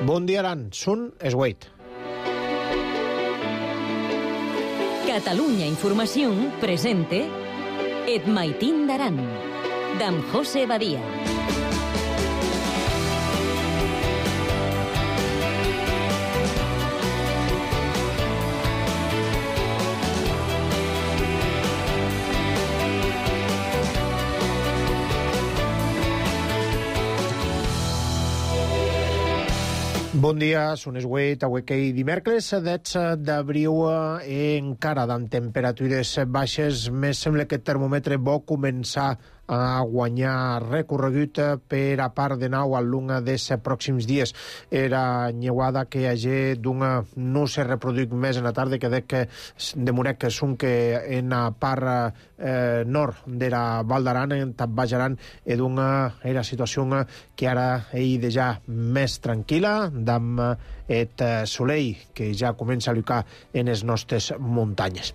Bon dia, Aran. Sun es Wait. Catalunya Informació presente Et Maitín d'Aran, d'en José Badia. Bon dia, són es Wait, avui que dimecres 10 d'abril encara amb temperatures baixes. Més sembla que el termòmetre vol començar a guanyar recorregut per a part de nou al longa dels pròxims dies. Era nyeuada que hagi d'una no se reproduït més en la tarda que demorec que són que en la part nord de la Val d'Aran, en Baix Aran, era situació que ara és ja més tranquil·la, amb el soleil que ja comença a llucar en les nostres muntanyes.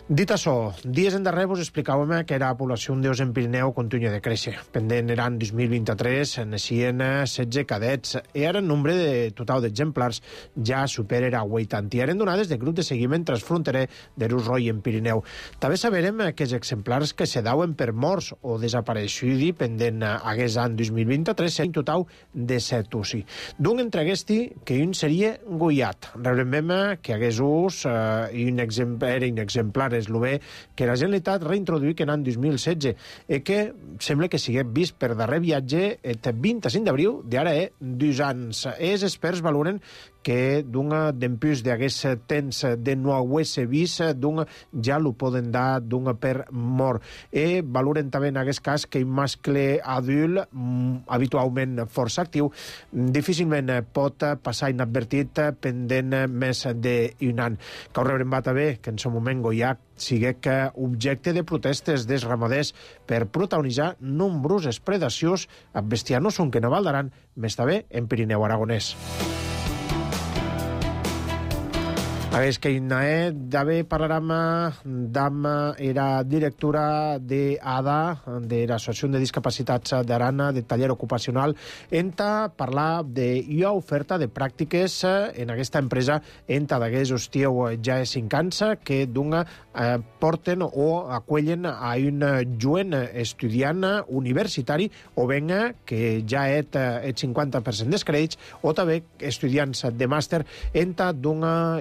Dit això, dies endarrere vos explicàvem que la població d'os en Pirineu continua de créixer. Pendent l'any 2023 naixien 16 cadets i ara el nombre de total d'exemplars ja supera 80. I eren donades de grup de seguiment transfronterer de Rus-Roi en Pirineu. També saberem que els exemplars que se dauen per morts o desapareixuts pendent aquest any 2023 serien un total de 7 usi. D'un entre aquests que un seria goiat. Recordem que aquest ús era un exemplar eslové que la Generalitat reintroduït en l'any 2016 i que sembla que sigui vist per darrer viatge el 25 d'abril d'ara 2 anys. Els experts valoren que d'empús d'aquest temps de no haver-se vist, ja lo poden dar per mort. I valoren també en aquest cas que un mascle adult, habitualment força actiu, difícilment pot passar inadvertit pendent més d'un any. Cal rebre també que en aquest moment goiat sigui objecte de protestes dels ramaders per protagonitzar nombroses predacions amb bestiar no són que no Val d'Aran, més també en Pirineu Aragonès. Aquest que d'haver parlarem amb la directora d'ADA, de l'Associació de Discapacitats d'Aran, de taller ocupacional, enta parlar d'una oferta de pràctiques en aquesta empresa enta d'aquest hostiu ja és 5 anys que porten o acollen a un jovent estudiant universitari o venga que ja és el 50% dels crèdits o també estudiants de màster enta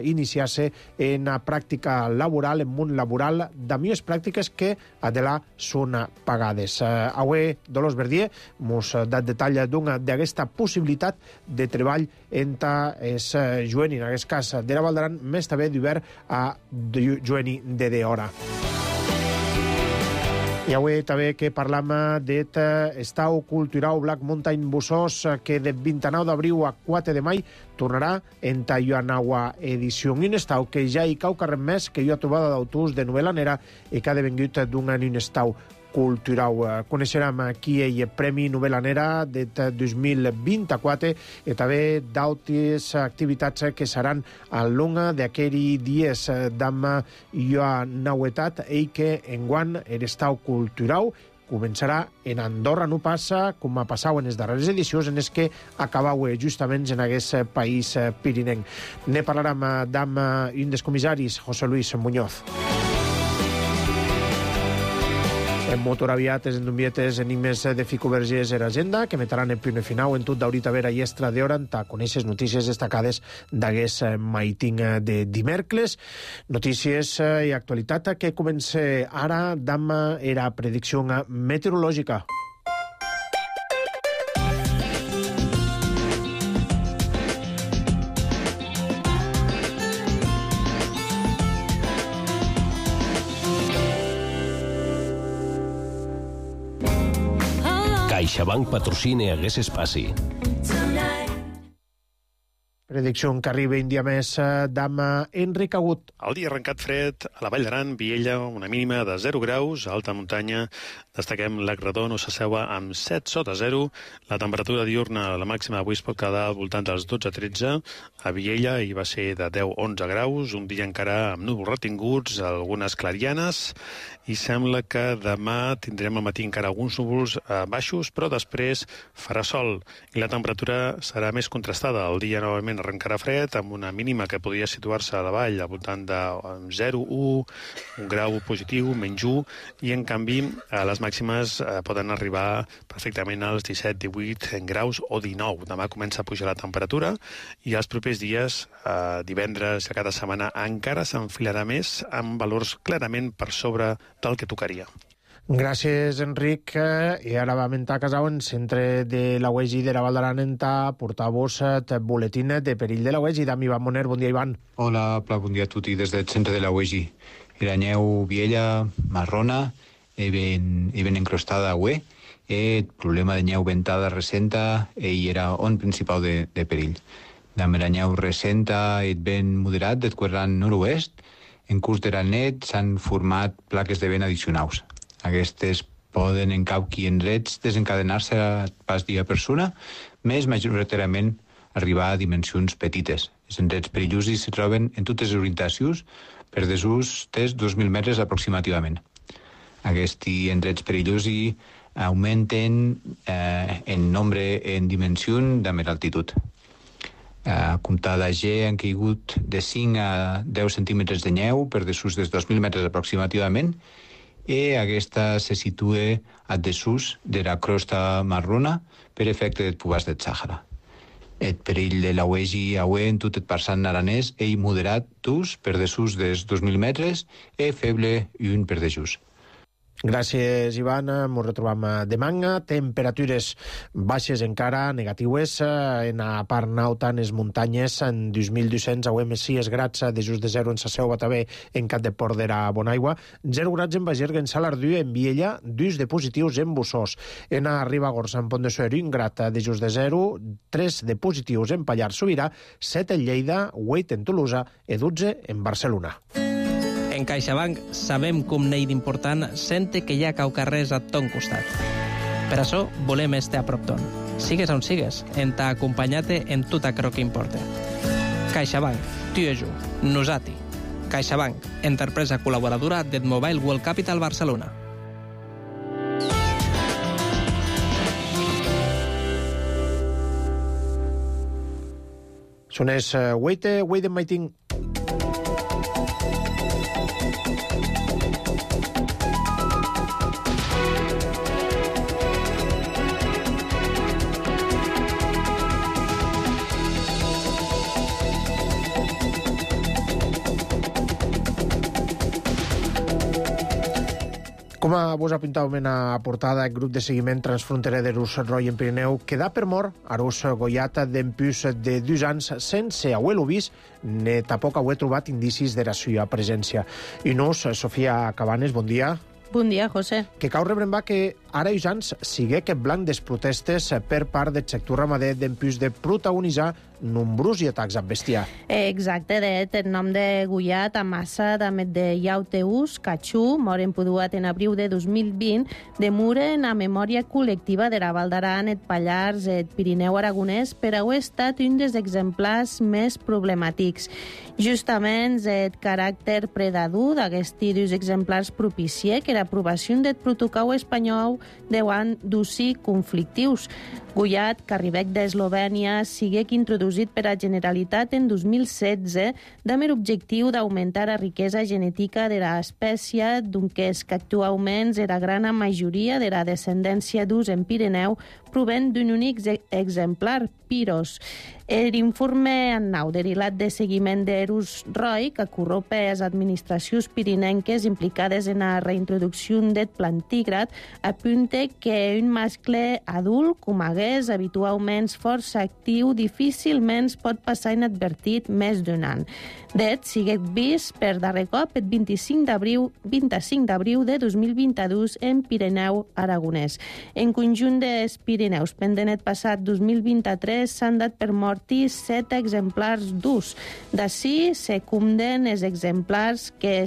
iniciar en la pràctica laboral, en món laboral, de millors pràctiques que adela són pagades. Avui, Dolors Verdier mos dat detall d'aquesta possibilitat de treball entre els jovenis, en aquest cas de la Val d'Aran, més també d'obert a jovenis de hora. I avui també que parlam d'estau cultural Black Mountain Bussos que de 29 d'abril a 4 de maig tornarà en Tayuanawa edició. Un estau que ja hi cau carrer més que jo ha trobat d'autors de novel·lanera i que ha devengut d'un estau cultural. Coneixerem aquí el Premi Novel·lanera de 2024 i també d'altres activitats que seran a longa d'aquells dies d'amb nauetat i que enguany l'estau cultural començarà en Andorra, no passa com ha passat en les darreres edicions en les que acabau justament en aquest país pirinenc. Ne parlarem amb un dels comissaris, José Luis Muñoz. En motor aviat, en Dumbietes, enigmes de Fico Vergés en agenda, que metaran en primer final en tot d'ahorita vera i extra d'hora a conèixer notícies destacades d'aquest maiting de dimecres. Notícies i actualitat que comença ara amb la predicció meteorològica. CaixaBank patrocina aquest espaci. Predicció que arriba un dia més d'am Enric Agut. El dia arrencat fred a la Vall d'Aran, Viella, una mínima de 0 graus, a alta muntanya. Destaquem l'Agredó, no s'asseua amb 7 sota 0. La temperatura diurna, la màxima avui es pot quedar al voltant dels 12-13. A Viella hi va ser de 10-11 graus, un dia encara amb núvols retinguts, algunes clarianes, i sembla que demà tindrem al matí encara alguns núvols baixos, però després farà sol i la temperatura serà més contrastada. El dia novament arrencarà fred, amb una mínima que podria situar-se a la vall al voltant de 0, 1, un grau positiu, menys 1, i en canvi les màximes poden arribar perfectament als 17, 18 graus o 19. Demà comença a pujar la temperatura i els propers dies, divendres i cada setmana, encara s'enfilarà més amb valors clarament per sobre del que tocaria. Gràcies, Enric. I ara vam entrar a casa en centre de la UEGI de la Val d'Aran a portar-vos el boletín de perill de la UEGI. D'Ami Ivan Moner, bon dia, Ivan. Hola, bon dia a tutti des del centre de la UEGI. La neu viella, marrona, ben encrostada a UE. El problema de neu ventada recenta i era on principal de perill. La neu recenta és ben moderat del quadrant nord-oest. En curs de la net s'han format plaques de vent addicionals. Aquestes poden en cauqui endrets desencadenar-se pas dia persona, més majoritàriament arribar a dimensions petites. Els endrets perillosos se troben en totes les orientacions per desús dels 2.000 metres aproximativament. Aquests endrets perillosos augmenten en nombre en dimensió de més altitud. A comptar d'AG han caigut de 5 a 10 centímetres de neu per desús dels 2.000 metres aproximativament, i aquesta se situa a desús de la crosta marrona per efecte del pubàs del Sàhara. El perill de la UEGI en tot el parçant aranès és moderat d'ús per desús dels 2.000 metres i feble i un per desús. Gràcies, Ivan. Ens retrobam demà. Temperatures baixes encara, negatives, en la part nauta, en les muntanyes, en 2.200 a més grads, de just de 0 en Saseu, Batavé, en Cap de Port de la Bonaigua, 0 grads en Bagerga, en Salardú, en Viella, 2 de positius en Bussós. En Ribagorça, en Pont de Suert, 1 grad de just de 0, 3 de positius en Pallars Sobirà, 7 en Lleida, 8 en Tolosa i 12 en Barcelona. En CaixaBank sabem com n'hi d'important sente que hi ha caucarrers a ton costat. Per això volem estar a prop ton. Sigues on sigues, en t'ha acompanyat en tot aquello que importa. CaixaBank, tu i jo, nosati. CaixaBank, empresa col·laboradora del Mobile World Capital Barcelona. Són els Wait and Waiting. Com vos apuntàvem en la portada, el grup de seguiment transfronterer de Rus Roy en Pirineu queda per mort a Rus Goiat d'empús de 2 anys sense haver-lo vist ni tampoc haver trobat indicis de la seva presència. I nos, Sofia Cabanes, bon dia. Bon dia, José. Que cau rebrembar que ara i ans sigui aquest blanc des protestes per part del sector ramader d'empús de protagonitzar nombrosos atacs amb bestiar. Exacte, el nom de Goiat, Amassa, també de Iauteus, Cachú, moren poduat en abril de 2020, demuren a memòria col·lectiva de la Val d'Aran, el Pallars, el Pirineu aragonès, per haver estat un dels exemplars més problemàtics. Justament el caràcter predador d'aquests dos exemplars propicia que l'aprovació del protocol espanyol deuen d'usi conflictius. Goiat, Carribec d'Eslovènia, sigué introduït per la Generalitat en 2016 amb l'objectiu d'augmentar la riquesa genètica de l'espècie, donques que actualment la gran majoria de la descendència d'ús en Pirineu proven d'un únic exemplar, Piros. L'informe annau derivat de seguiment d'Erus Roy, que corropa les administracions pirinenques implicades en la reintroducció del plantígrad, apunta que un mascle adult, com hagués habitualment força actiu, difícilment pot passar inadvertit més d'un any. Det siguet vist per darrer cop el 25 d'abril de 2022 en Pirineu aragonès. En conjunt dels Pirineus Pirineus. Pendent el passat 2023 s'han dat per morti 7 exemplars d'ús. D'ací se cumden els exemplars que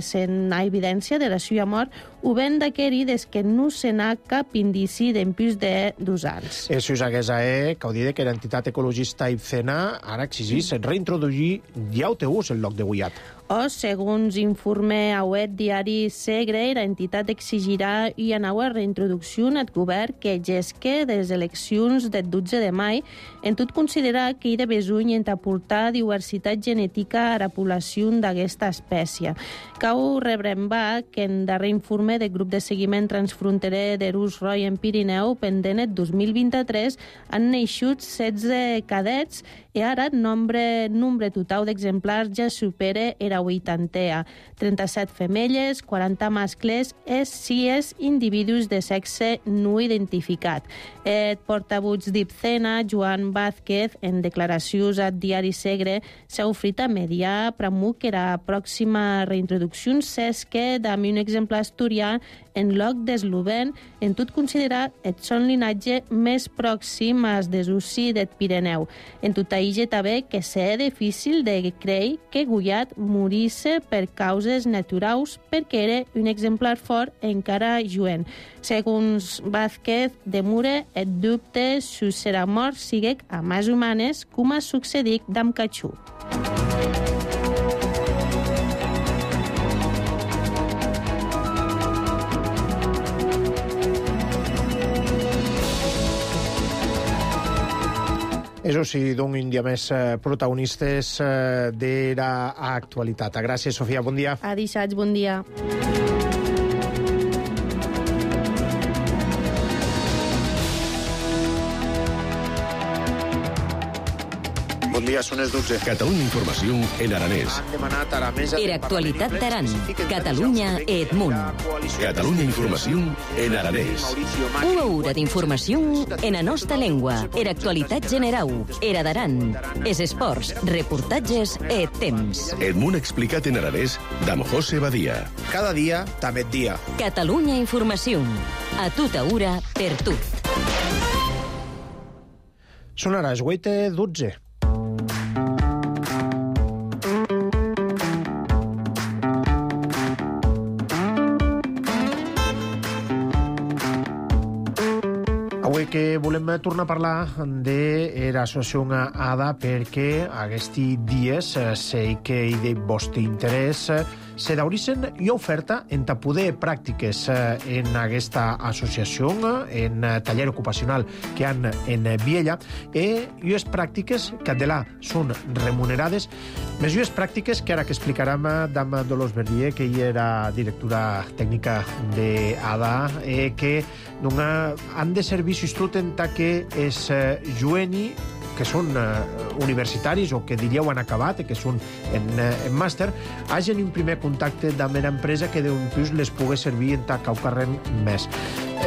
se'n ha evidència de la seva mort ho ben d'aquerir des que no se n'ha cap indici d'empús de 2 anys. Si us hagués que ho dit que l'entitat ecologista IPCENA ara exigís reintroduir llauteús en lloc de guiat. O, segons informe auet diari Segre, l'entitat exigirà i una reintroducció al govern que gesque de les eleccions del 12 de maig, en tot considerar que hi ha de besuny en aportar diversitat genètica a la població d'aquesta espècie. Cau rebrembar que en darrer informe del grup de seguiment transfronterer de Rus Roy en Pirineu, pendent el 2023, han neixut 16 cadets i ara el nombre total d'exemplars ja supera era 80. 37 femelles, 40 mascles i 6 individus de sexe no identificat. El portavoz d'IPCENA, Joan Vázquez, en declaracions al diari Segre, s'ha ofert a mediar promou que la pròxima reintroducció s'esque d'un un exemplar asturià en lloc d'eslovèn, en tot considerar el son linatge més pròxim als desusi del Pirineu. En tot això també que és difícil de creure que Guyat morisse per causes naturals perquè era un exemplar fort encara jovent. Segons Vázquez de Mure, el dubte si serà mort sigui a més humanes com ha succeït amb Cachú. Això sí, d'un dia més protagonistes de l'actualitat. Gràcies, Sofia. Bon dia. A dissabte, bon dia. Bon dia, són les 12. Catalunya Informació en aranès. Han demanat ara més... Era actualitat d'Aran. Catalunya Edmunt. Catalunya Informació en aranès. Una hora d'informació en la nostra llengua. Era actualitat general. Era d'Aran. Es esports, reportatges e temps. Edmunt explicat en aranès d'Am José Badia. Cada dia, també et dia. Catalunya Informació. A tota hora, per tot. Són ara les 8:12. Avui que volem tornar a parlar de l'associació ADA perquè aquests dies sé que hi de vostre interès se daurisen i oferta en poder pràctiques en aquesta associació, en taller ocupacional que han en Viella, i les pràctiques que adelà són remunerades, més les pràctiques que ara que explicarem d'Am Dolors Verdier, que hi era directora tècnica d'ADA, que han de servir tot en que és jueni, que són universitaris o que diríeu han acabat, que són en màster, hagin un primer contacte amb una empresa que d'un plus les pugui servir en caucarren més.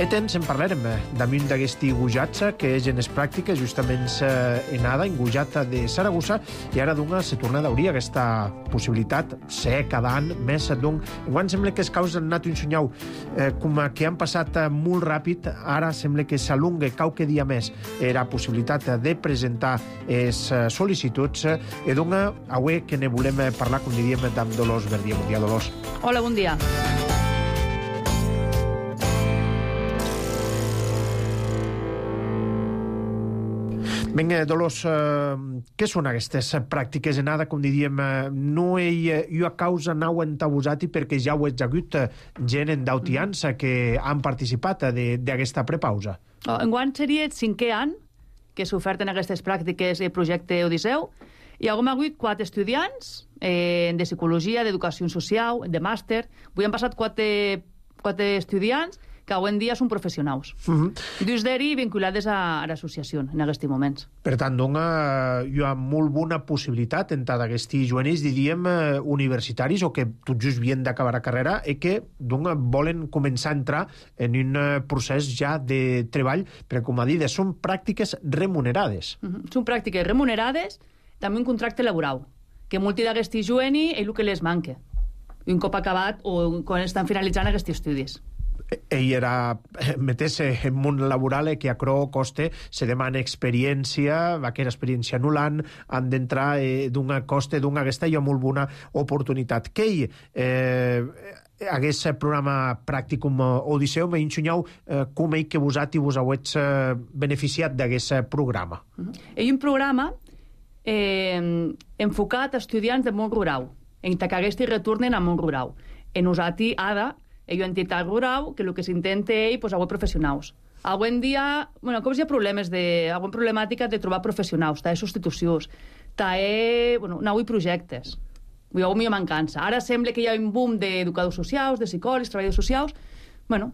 Temps en parlarem d'un d'aquests gujats que és en les pràctiques justament en ADA, en gujat de Saragossa, i ara se torna a daurir aquesta possibilitat ser cada any més. Enguany sembla que els caus han anat un sonyau com que han passat molt ràpid, ara sembla que s'alunga qualque dia més la possibilitat de presentar les sol·licituds, i avui que ne volem parlar, com diríem, d'Am Dolors Verdier. Bon dia, Dolors. Hola, bon dia. Vinga, Dolors, què són aquestes pràctiques en ADA? Com diríem, no hi ha causa nau entabusat perquè ja ho ha hagut gent d'autiança que han participat d'aquesta prepausa. Enguany seria el 5è any que s'oferten aquestes pràctiques del projecte Odisseu. Hi ha hagut 4 estudiants de psicologia, d'educació social, de màster. Avui han passat 4 estudiants que avui en dia són professionals. Dos d'ells vinculades a l'associació en aquests moments. Per tant, hi ha molt bona possibilitat en d'aquests jovenils, diríem, universitaris o que tot just havien d'acabar la carrera i que volen començar a entrar en un procés ja de treball, perquè, com ha dit, són pràctiques remunerades. Són pràctiques remunerades, també un contracte laboral, que molti d'aquests jovenils és el que les manca, un cop acabat o quan estan finalitzant aquests estudis. Ell era meter-se en món laboral que a Cro coste se demana experiència, aquella experiència anul·lant, han d'entrar d'una coste, d'una aquesta i amb molt bona oportunitat. Que hagués programa pràcticum Odisseu, m'ensenyeu com ell que vosat i vos hauets beneficiat d'aquest programa. Ell un programa enfocat a estudiants de món rural, en que aquests retornen a món rural. En usati ADA, ell entitat rural, que el que s'intenta ell, pues, avui professionals. Avui en dia, bueno, com hi ha problemes avui problemàtica de trobar professionals, substitucions, avui projectes. Avui m'hi mancança. Ara sembla que hi ha un boom d'educadors socials, de psicòlegs, treballadors socials, bueno,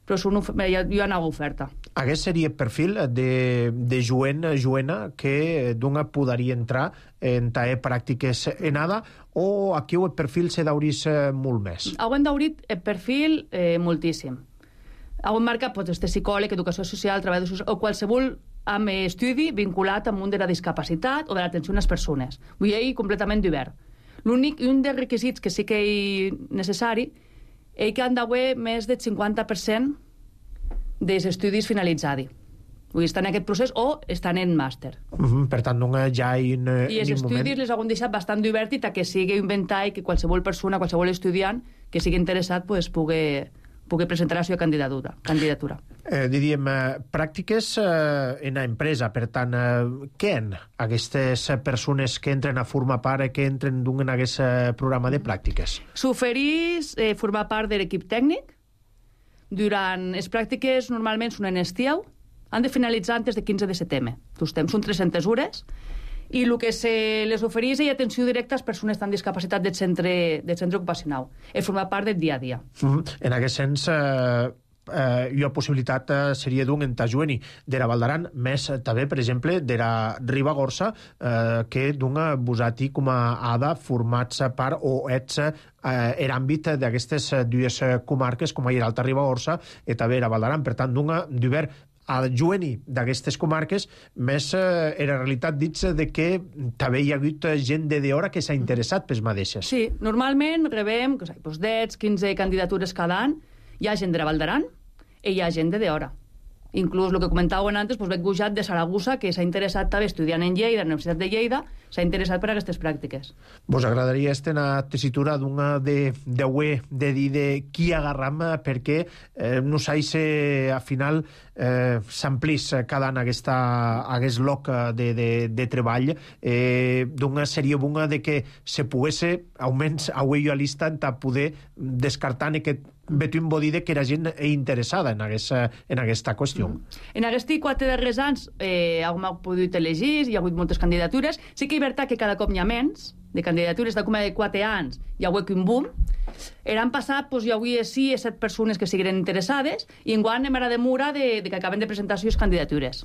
però hi ha una oferta. Aquest seria el perfil de joena que d'una podria entrar en pràctiques en ADA, o aquí el perfil se dauris molt més? Hem daurit el perfil moltíssim. Hem marcat este psicòleg, educació social, treballador social, o qualsevol amb estudi vinculat amb un de la discapacitat o de l'atenció a les persones. Vull dir, completament obert. L'únic, un dels requisits que sí que és necessari, és que han d'haver més del 50% dels estudis finalitzats. Vull dir, estan en aquest procés o estan en màster. Per tant, ja en I els estudis les han deixat bastant obert i que sigui un ventall que qualsevol persona, qualsevol estudiant que sigui interessat pugui presentar la seva candidatura. Diríem, pràctiques en l'empresa, per tant, què en aquestes persones que entren a formar part, que entren en aquest programa de pràctiques? S'oferís formar part de l'equip tècnic. Durant les pràctiques normalment són en estiu, han de finalitzar antes de 15 de setembre. Són 300 hores, i el que se les ofereix és atenció directa a les persones amb discapacitat del centre ocupacional, i formar part del dia a dia. En aquest sens, hi ha possibilitat seria d'un entajueni de la Val d'Aran, més també, per exemple, de la Ribagorça, que d'un vosati com a ADA formats part o ets en àmbit d'aquestes dues comarques, com a l'Alta Ribagorça i també la Val d'Aran. Per tant, d'un d'obert a jueni d'aquestes comarques, més era realitat dits de que també hi ha hagut gent de d'hora que s'ha interessat pels mateixes. Sí, normalment rebem 10, 15 candidatures cada any. Hi ha gent de la Val d'Aran i hi ha gent de d'hora. Inclús el que comentàvem antes, veig Gujat de Saragossa, que s'ha interessat també estudiant en Lleida, a la Universitat de Lleida, s'ha interessat per aquestes pràctiques. Vos agradaria una tessitura d'una de dir de qui agarram, perquè no sais al final s'amplís cada any aquest lloc de treball, d'una sèrie bona de que se pogués almenys avui a l'instant a poder descartar aquest vetum bodide que era gent interessada en aquesta qüestió. En aquests 4 darrers anys hem pogut elegir, hi ha hagut moltes candidatures. Sí que és veritat que cada cop hi ha menys de candidatures, de com de 4 anys hi ha hagut un boom. L'any passat hi havia 6 o 7 persones que siguin interessades, i enguany hem ara de mura que acaben de presentar les candidatures.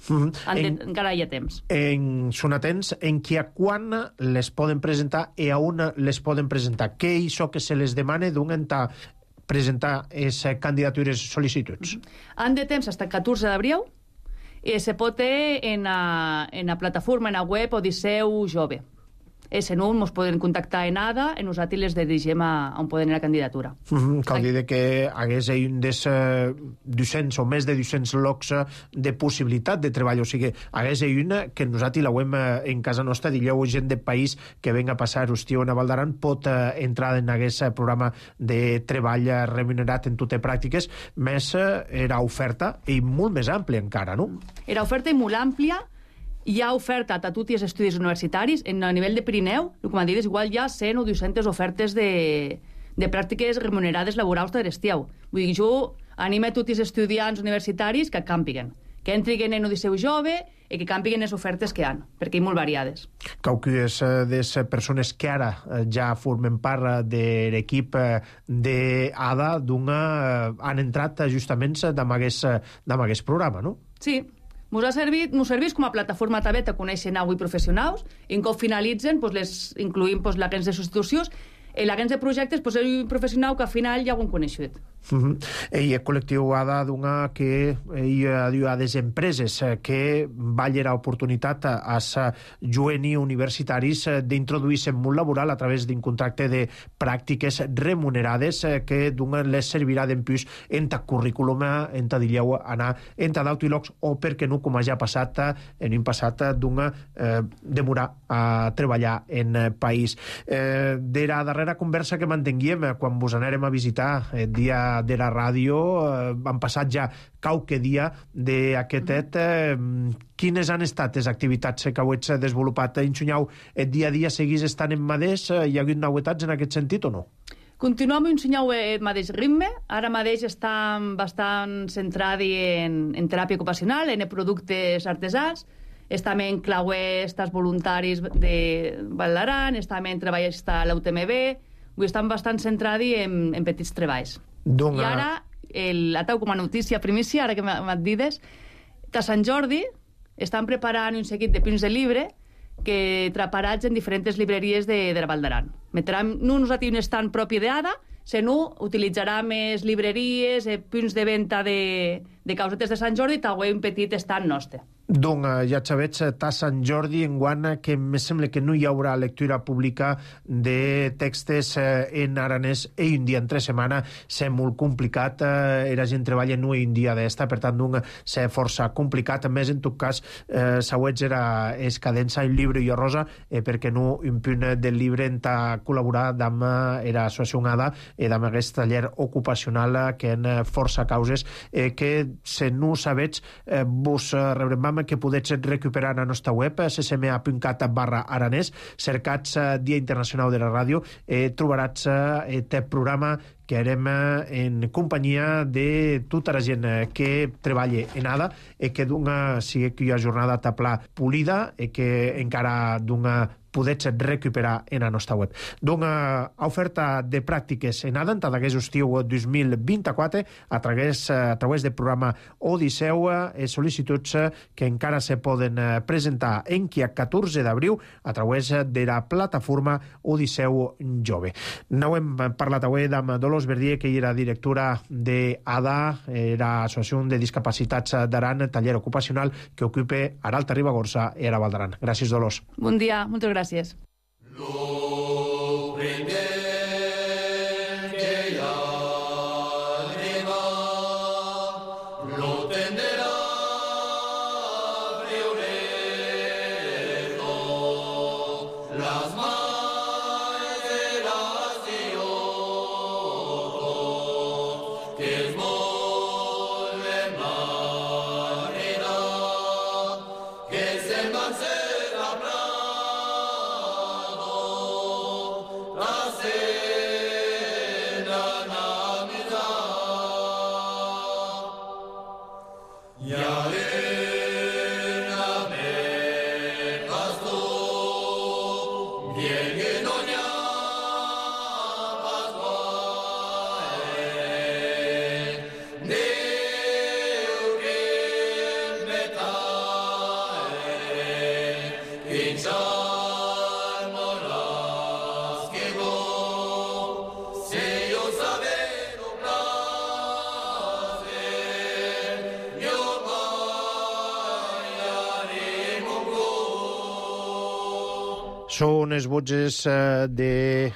Encara hi ha temps. Són atents en qui a quan les poden presentar i a on les poden presentar. Què és això que se les demana d'un entà presentar les candidatures sol·licituds? Han de temps fins al 14 d'abril, i se pot en la plataforma, en la web Odisseu Jove. En un ens poden contactar en ADA, en nosaltres les dirigim on poden anar a la candidatura. Cal dir que hagués un dels 200 o més de 200 llocs de possibilitat de treball, o sigui, hagués una que nosaltres la web en casa nostra, digueu gent del país que venga a passar l'estiu a Val d'Aran, pot entrar en aquest programa de treball remunerat en totes pràctiques, més era oferta i molt més àmplia encara, no? Era oferta molt àmplia. Hi ha oferta a tots els estudis universitaris. A nivell de Pirineu, com han dit, igual hi ha 100 o 200 ofertes de pràctiques remunerades laborals de l'estiu. Vull dir, jo animo a tots els estudiants universitaris que campiguen, que entrin en Odisseu Jove i que campiguen les ofertes que hi ha, perquè hi ha molt variades. Qualques de les persones que ara ja formen part de l'equip d'ADA han entrat justament amb aquest programa, no? Sí. Ens serveix com a plataforma també de conèixer avui professionals, i un cop finalitzen les incluïm l'agents de substitucions, i l'agents de projectes és un professional que al final ja ho han coneixut. I el col·lectiu ADA donà que a les empreses que vallen l'oportunitat a juvenils universitaris d'introduir-se en món laboral a través d'un contracte de pràctiques remunerades que donen les servirà d'empús en ta currículum, en ta dilleu anar en ta d'autilocs o perquè no, com ja ha passat en un passat, demorar a treballar en país. De la darrera conversa que mantenguem quan vos anèrem a visitar el dia de la ràdio, han passat ja qualque dia d'aquest quines han estat les activitats que heu desenvolupat? Enxunyau, el dia a dia seguís estant en madés? Hi ha hagut novetats en aquest sentit o no? Continuem ensenyant el mateix ritme. Ara mateix estem bastant centrats en teràpia ocupacional, en productes artesans. Estem en clauestes voluntaris de Vall d'Aran, estem en treballs a l'UTMB. Estem bastant centrats en petits treballs. I ara, atau com a notícia primícia, ara que m'hat dides, a Sant Jordi estan preparant un seguit de punts de llibre que traparats en diferents libreries de la Vall d'Aran. Metran no nosaltres un estant propi d'ADA, sinó utilitzarà més libreries, punts de venda de causetes de Sant Jordi, també un petit estant nostre. Doncs ja sabets, a Sant Jordi enguany que em sembla que no hi haurà lectura pública de textos en aranès i un dia entre setmana és molt complicat, la gent treballa no un dia d'esta, per tant és força complicat, a més en tot cas sauets era es cadença un llibre i rosa, perquè no un punt del llibre en ta col·laborar amb l'associació ADA i amb aquest taller ocupacional que en força causes que se no sabets vos rebrem que podets recuperar a la nostra web ccma.cat/aranès, cercats Dia Internacional de la Ràdio, trobaràs aquest programa que harem en companyia de tota la gent que treballa en ADA i que sigui que hi ha jornada tapla polida i que encara podets recuperar en la nostra web. Doncs oferta de pràctiques en ADA en tot aquest estiu 2024 a través del programa Odisseu, sol·licituds que encara se poden presentar en qui a 14 d'abril a través de la plataforma Odisseu Jove. No hem parlat avui amb Dolors Verdier, que era directora d'ADA, l'Associació de Discapacitats d'Aran, taller ocupacional que ocupa a l'Alta Ribagorça i a la Val d'Aran. Gràcies, Dolors. Bon dia, moltes gràcies. Són els votges del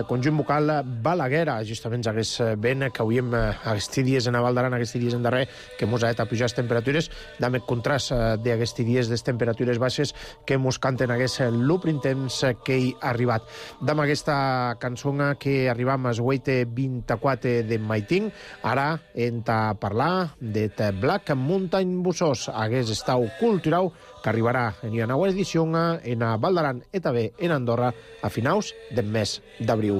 conjunt vocal Balaguera, justament hagués ben que hauríem aquests dies en la Val d'Aran, aquests dies en darrer, que mos ha de pujar les temperatures, amb el contrast d'aquests dies de temperatures baixes que mos canten aquest l'úprim temps que hi ha arribat. Amb aquesta cançó que arribam al 24 de Maiting, ara hem de parlar de Black Mountain Bussos, hagués estau cultural que arribarà en una nova edició en a Val d'Aran i també en Andorra a finals del mes d'abril.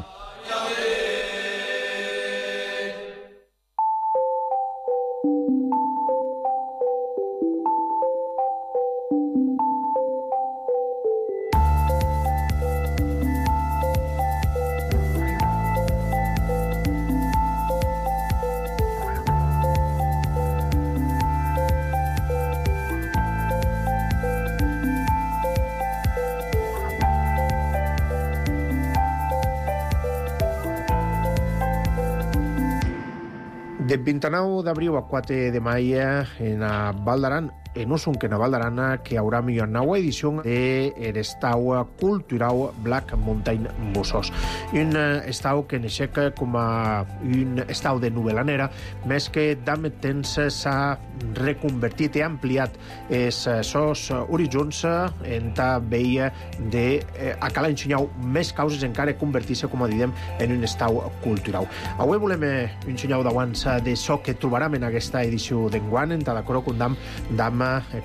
De 29 d'abril a 4 de maio en a Val d'Aran, en Usun, que en a Val d'Aran, que haurà una nova edició de l'estau cultural Black Mountain Bussos. Un estau que neixec com a un estau de novel·lanera, més que d'ame temps s'ha reconvertit i ampliat els seus horitzons en ta veia de a cal ensenyar més causes encara convertir-se, com a diem, en un estau cultural. Avui volem ensenyar d'abans de so que trobarem en aquesta edició d'enguany, en cada coro condam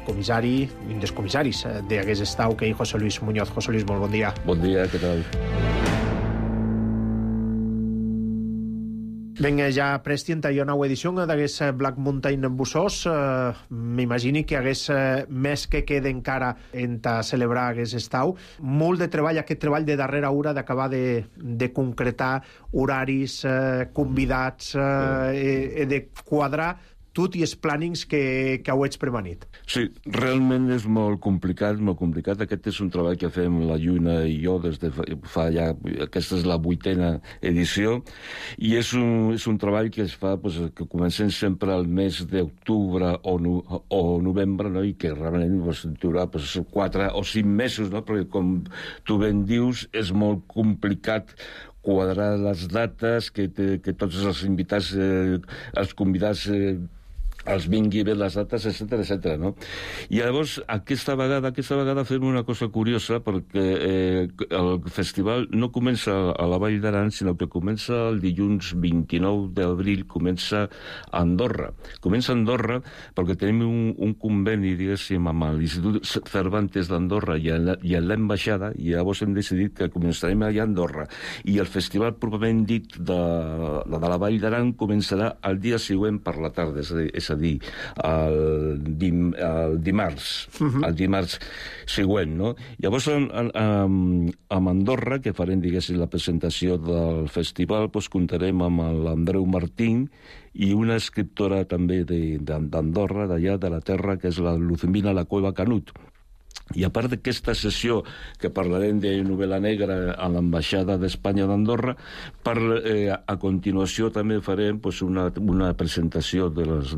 comissari, un dels comissaris d'aquest estau, que és José Luis Muñoz. José Luis, molt bon dia. Bon dia, què tal? Ben, ja prestient a una nova edició d'aquest Black Mountain Bussos. M'imagini que hagués més que queda encara en celebrar aquest estau. Molt de treball, aquest treball de darrera hora d'acabar de concretar horaris, convidats, de quadrar tot i els plànings que ho ets premanit. Sí, realment és molt complicat, molt complicat. Aquest és un treball que fem la Lluna i jo des de fa ja... Aquesta és la 8a edició, i és un treball que es fa, que comencem sempre al mes d'octubre o novembre, no? I que realment durarà 4 o 5 mesos, no? Perquè, com tu ben dius, és molt complicat quadrar les dates, que tots els invitats, els convidats els vingui bé les dates, etc., no? I llavors, aquesta vegada fem una cosa curiosa, perquè el festival no comença a la Vall d'Aran, sinó que comença el dilluns 29 d'abril, comença a Andorra. Comença a Andorra perquè tenim un conveni, diguéssim, amb l'Institut Cervantes d'Andorra i a l'Ambaixada, i llavors hem decidit que començarem allà a Andorra. I el festival, properament dit, de la Vall d'Aran començarà el dia següent per la tarda, és a dir, el dimarts, el dimarts següent, no? Llavors, a Andorra, que farem, diguéssim, la presentació del festival, comptarem amb l'Andreu Martín i una escriptora també d'Andorra, d'allà, de la terra, que és la Luzmina La Cueva Canut. I a part d'aquesta sessió que parlarem de novel·la negra a l'Ambaixada d'Espanya d'Andorra, a continuació també farem una presentació de les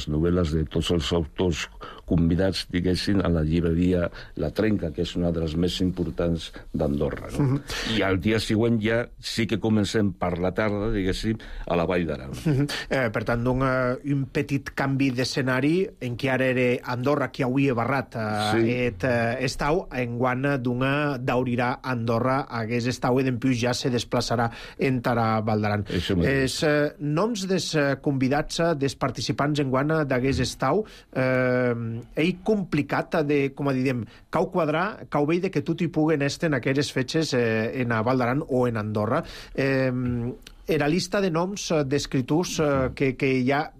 novel·les de tots els autors convidats, diguéssim, a la llibreria La Trenca, que és una de les més importants d'Andorra, no? I al dia següent ja sí que comencem per la tarda, diguéssim, a la Vall d'Aran. Per tant, un petit canvi d'escenari en què ara era Andorra, que avui he barrat estau, enguany d'aurirà Andorra hagués estau i d'empius ja se desplaçarà en Tara Val d'Aran. Els noms dels convidats, dels participants enguany d'aguest estau, és complicat de, com a diem, cau quadrar, cau veure que tot hi puguen estar en aquelles fetges en Val d'Aran o en Andorra. Era lista de noms d'escriptors que ja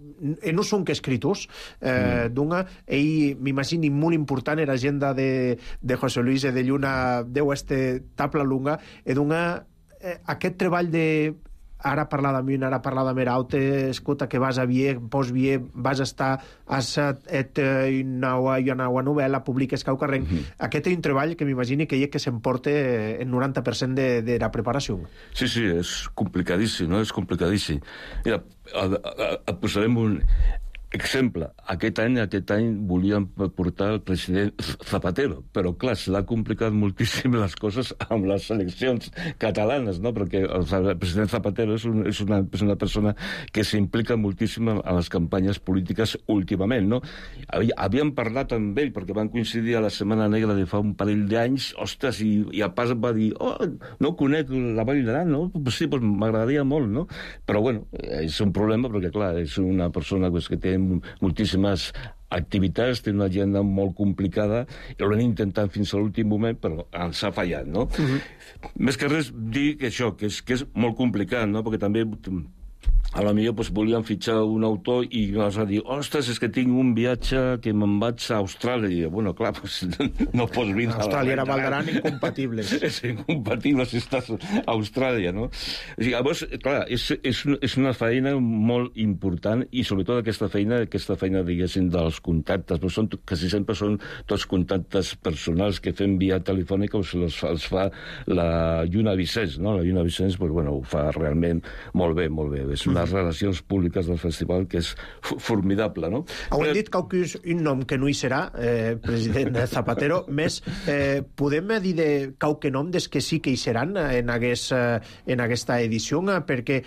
no són que escriptors, m'imagini molt important era agenda de José Luis de Lluna deu tabla lunga, aquest treball de ara parlar d'amunt, ara parlar de Meraute, escolta, que vas a Vier, vas estar a una novel·la, publiques Caucarrenc. Aquest és un treball que m'imagini que s'emporta el 90% de la preparació. Sí, és complicadíssim, no? És complicadíssim. Mira, et posarem un exemple. Aquest any volíem portar el president Zapatero, però clar, s'ha complicat moltíssim les coses amb les eleccions catalanes, no? Perquè el president Zapatero és una persona que s'implica moltíssim en les campanyes polítiques últimament, no? Havíem parlat amb ell, perquè van coincidir a la Setmana Negra de fa un parell d'anys, ostres, i a pas va dir, no conec la Vall d'Aran, no? Sí, m'agradaria molt, no? Però bueno, és un problema, perquè clar, és una persona que té moltíssimes activitats, té una agenda molt complicada, i ho hem intentat fins a l'últim moment, però ens ha fallat, no? Més que res, dir que això, que és molt complicat, no? Perquè també a la millor volíem fitxar un autor i vas a dir, ostres, és que tinc un viatge que me'n vaig a Austràlia. Bueno, clar, no pots vindre a Austràlia era Val d'Aran incompatibles. És incompatible si estàs a Austràlia, no? Llavors, clar, és una feina molt important, i sobretot aquesta feina, diguéssim, dels contactes, però quasi sempre són tots contactes personals que fem via telefònica, o els fa la Lluna Vicenç, no? La Lluna Vicenç, ho fa realment molt bé, molt bé. és unes relacions públiques del festival que és formidable, no? Heu dit que un nom que no hi serà, president Zapatero, més podem dir de qualque nom des que sí que hi seran en aquesta edició, perquè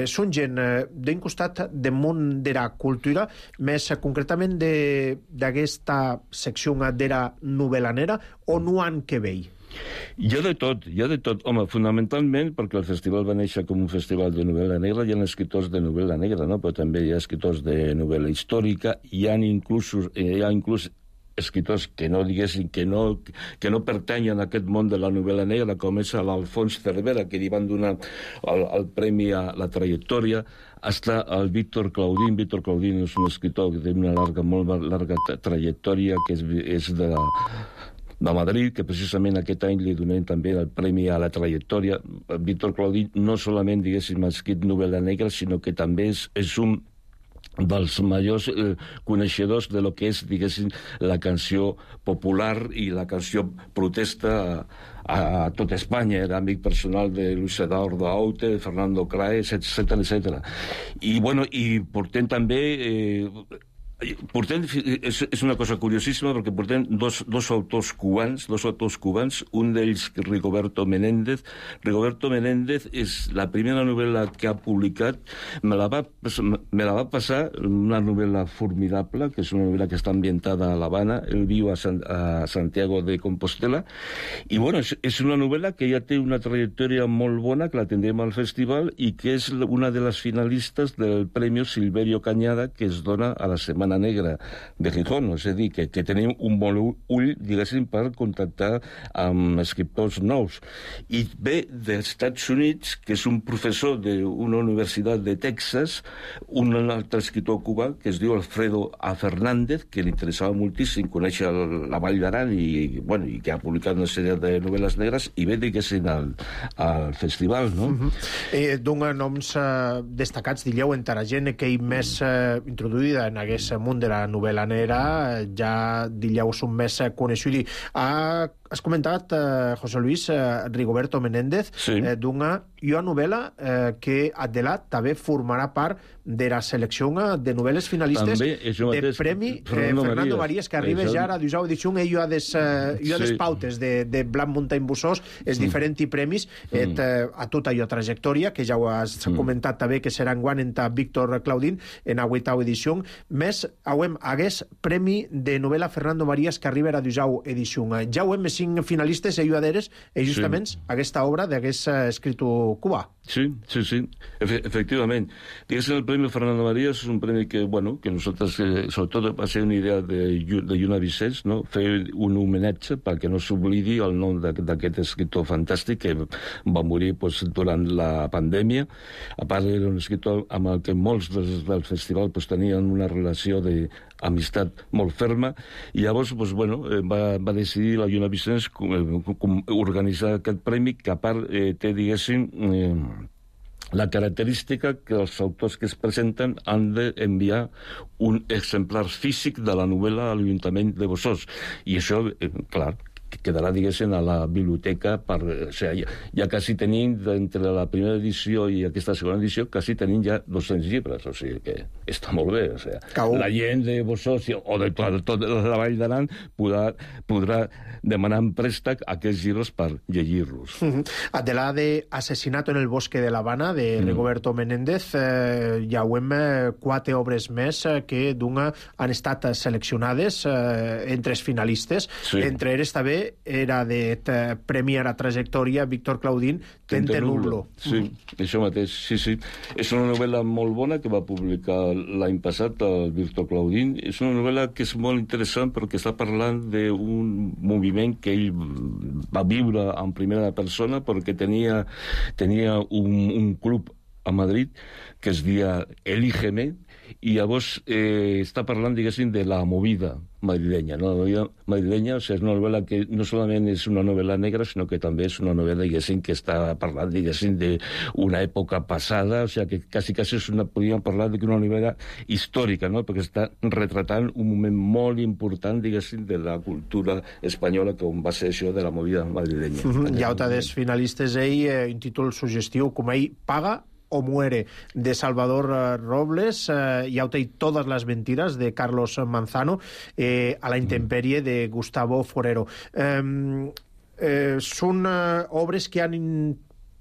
són gent d'un costat del món de la cultura, més concretament d'aquesta secció de la novel·lanera, o no han que veure? Hi ha de tot. Home, fonamentalment, perquè el festival va néixer com un festival de novel·la negra, hi ha escriptors de novel·la negra, no? Però també hi ha escriptors de novel·la històrica, hi ha inclús escriptors que no diguessin que no pertanyen a aquest món de la novel·la negra, com és l'Alfons Cervera, que li van donar el premi a la trajectòria. Està el Víctor Claudín. Víctor Claudín és un escriptor que té una molt larga trajectòria, que és de Madrid, que precisament aquest any li donem també el premi a la trajectòria. Víctor Claudín no solament, diguéssim, ha escrit novel·la negra, sinó que també és un dels majors coneixedors de lo que és, diguéssim, la canció popular i la canció protesta a tot Espanya. Era amic personal de Luis Eduardo Aute, de Fernando Craes, etc. I portem també... és una cosa curiosíssima, perquè portem dos autors cubans, un d'ells Rigoberto Menéndez. Rigoberto Menéndez és la primera novel·la que ha publicat, me la va passar, una novel·la formidable, que és una novel·la que està ambientada a l'Havana. Ell viu a Santiago de Compostela, i és una novel·la que ja té una trajectòria molt bona, que la tindrem al festival, i que és una de les finalistes del Premi Silverio Cañada, que es dona a la Setmana Negra de Gijón. És a dir, que tenim un bon ull, diguéssim, per contactar amb escriptors nous. I ve dels Estats Units, que és un professor d'una universitat de Texas, un altre escriptor cubà, que es diu Alfredo A. Fernández, que li interessava moltíssim conèixer la Vall d'Aran i que ha publicat una sèrie de novel·les negres, i ve, diguéssim, al festival, no? Dona noms destacats, diríeu, entre la gent que hi més introduïda en aquest món de la novel·la negra, ja diríeu són més coneixuts. Has comentat, José Luis, Rigoberto Menéndez, d'una novel·la que Adelat també formarà part de la selecció de novel·les finalistes de Premi Fernando Marías, que arriba ja a la 12ª edició. Ell ha des pautes de Blanc Montany Bussós, els diferents premis, a tota allò trajectòria, que ja ho has comentat també, que serà enguany entre Víctor Claudín en la 8ª edició. Més, hagués Premi de novel·la Fernando Marías, que arriba a la 12ª edició. Ja ho hem 5 finalistes i ajudadores, i justament aquesta obra d'aquest escriptor cubà. Sí, efectivament. Diguéssim, el Premi Fernando Marías és un premi que nosaltres, sobretot va ser una idea de Lluna Vicens, no? Fer un homenatge perquè no s'oblidi el nom d'aquest escriptor fantàstic que va morir durant la pandèmia. A part, era un escriptor amb el que molts del festival tenien una relació d'amistat molt ferma, i llavors va decidir la Lluna Vicens organitzar aquest premi, que a part té, diguéssim, la característica que els autors que es presenten han d'enviar un exemplar físic de la novel·la a l'Ajuntament de Bossós. I això, clar, quedarà, diguéssim, a la biblioteca. Ja quasi tenim, entre la primera edició i aquesta segona edició, quasi tenim ja 200 llibres, o sigui que està molt bé. La gent de Bossós o de tota la Vall d'Aran podrà demanar en préstec aquests llibres per llegir-los. De la de Asesinato en el bosque de La Habana, de Rigoberto Menéndez, ja ho hem 4 obres més que han estat seleccionades entre els finalistes. Entre ells també era de Premi a la trajectòria Víctor Claudín, Tente Nublo. Sí, això mateix, sí. És una novel·la molt bona que va publicar l'any passat el Víctor Claudín. És una novel·la que és molt interessant perquè està parlant d'un moviment que ell va viure en primera persona, perquè tenia un club a Madrid que es deia Elígeme, i llavors està parlant, diguéssim, de la movida madrilenya. La movida madrilenya, és una novel·la que no solament és una novel·la negra, sinó que també és una novel·la, diguéssim, que està parlant, diguéssim, d'una època passada, o sigui, que quasi podríem parlar d'una novel·la històrica, no? Perquè està retratant un moment molt important, diguéssim, de la cultura espanyola, com va ser això de la movida madrilenya. Hi ha dels finalistes, un títol suggestiu com ell, Paga o muere, de Salvador Robles, y Auta y todas las mentiras, de Carlos Manzano, A la intemperie, de Gustavo Forero. Són obres que han,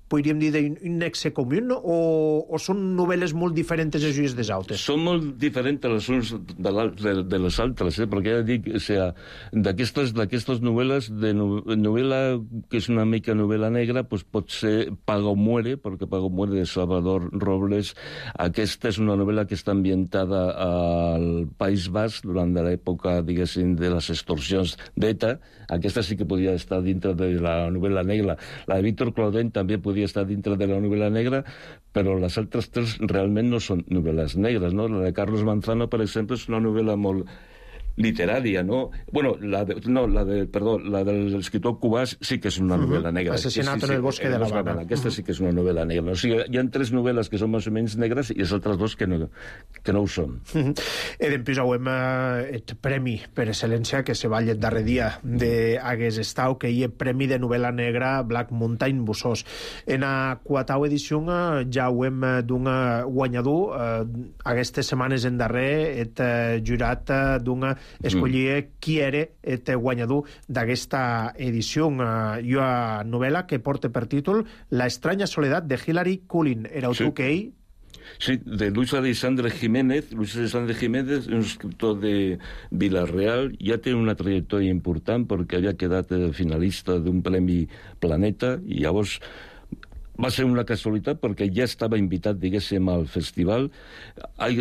podríem dir, d'un nexe comú, o són novel·les molt diferents les unes des altres? Són molt diferents les unes de les altres, perquè ja dic, o sigui, d'aquestes novel·les, de novel·la que és una mica novel·la negra, doncs pot ser Paga o muere, perquè Paga o muere de Salvador Robles. Aquesta és una novel·la que està ambientada al País Basc durant l'època, diguéssim, de les extorsions d'ETA. Aquesta sí que podia estar dintre de la novel·la negra. La de Víctor Claudent també podia estar dintre de la novel·la negra, però les altres tres realment no són novel·les negres, no? La de Carlos Manzano, per exemple, és una novel·la molt literària, no? Bueno, la de l'escriptor cubà sí que és una novel·la negra. Assassinat en el bosque de la Habana. Aquesta sí que és una novel·la negra. O sigui, hi ha tres novel·les que són més o menys negres i els altres dos que no ho són. Dempús auem el premi per excel·lència que se va el darrer dia d'Aguest Estau, que hi ha premi de novel·la negra Black Mountain Busós. En la quatau edició ja auem d'un guanyador. Aquestes setmanes en darrer el jurat d'un escollir qui era el guanyador d'aquesta edició. Una novel·la que porta per títol La estranya soledat de Hilary Cullen. Era tu que ell? Sí, de Luis Alexandre Jiménez. Luis Alexandre Jiménez, un escriptor de Vila-real, ja té una trajectòria important perquè havia quedat finalista d'un Premi Planeta i llavors va ser una casualitat perquè ja estava invitat, diguéssim, al festival.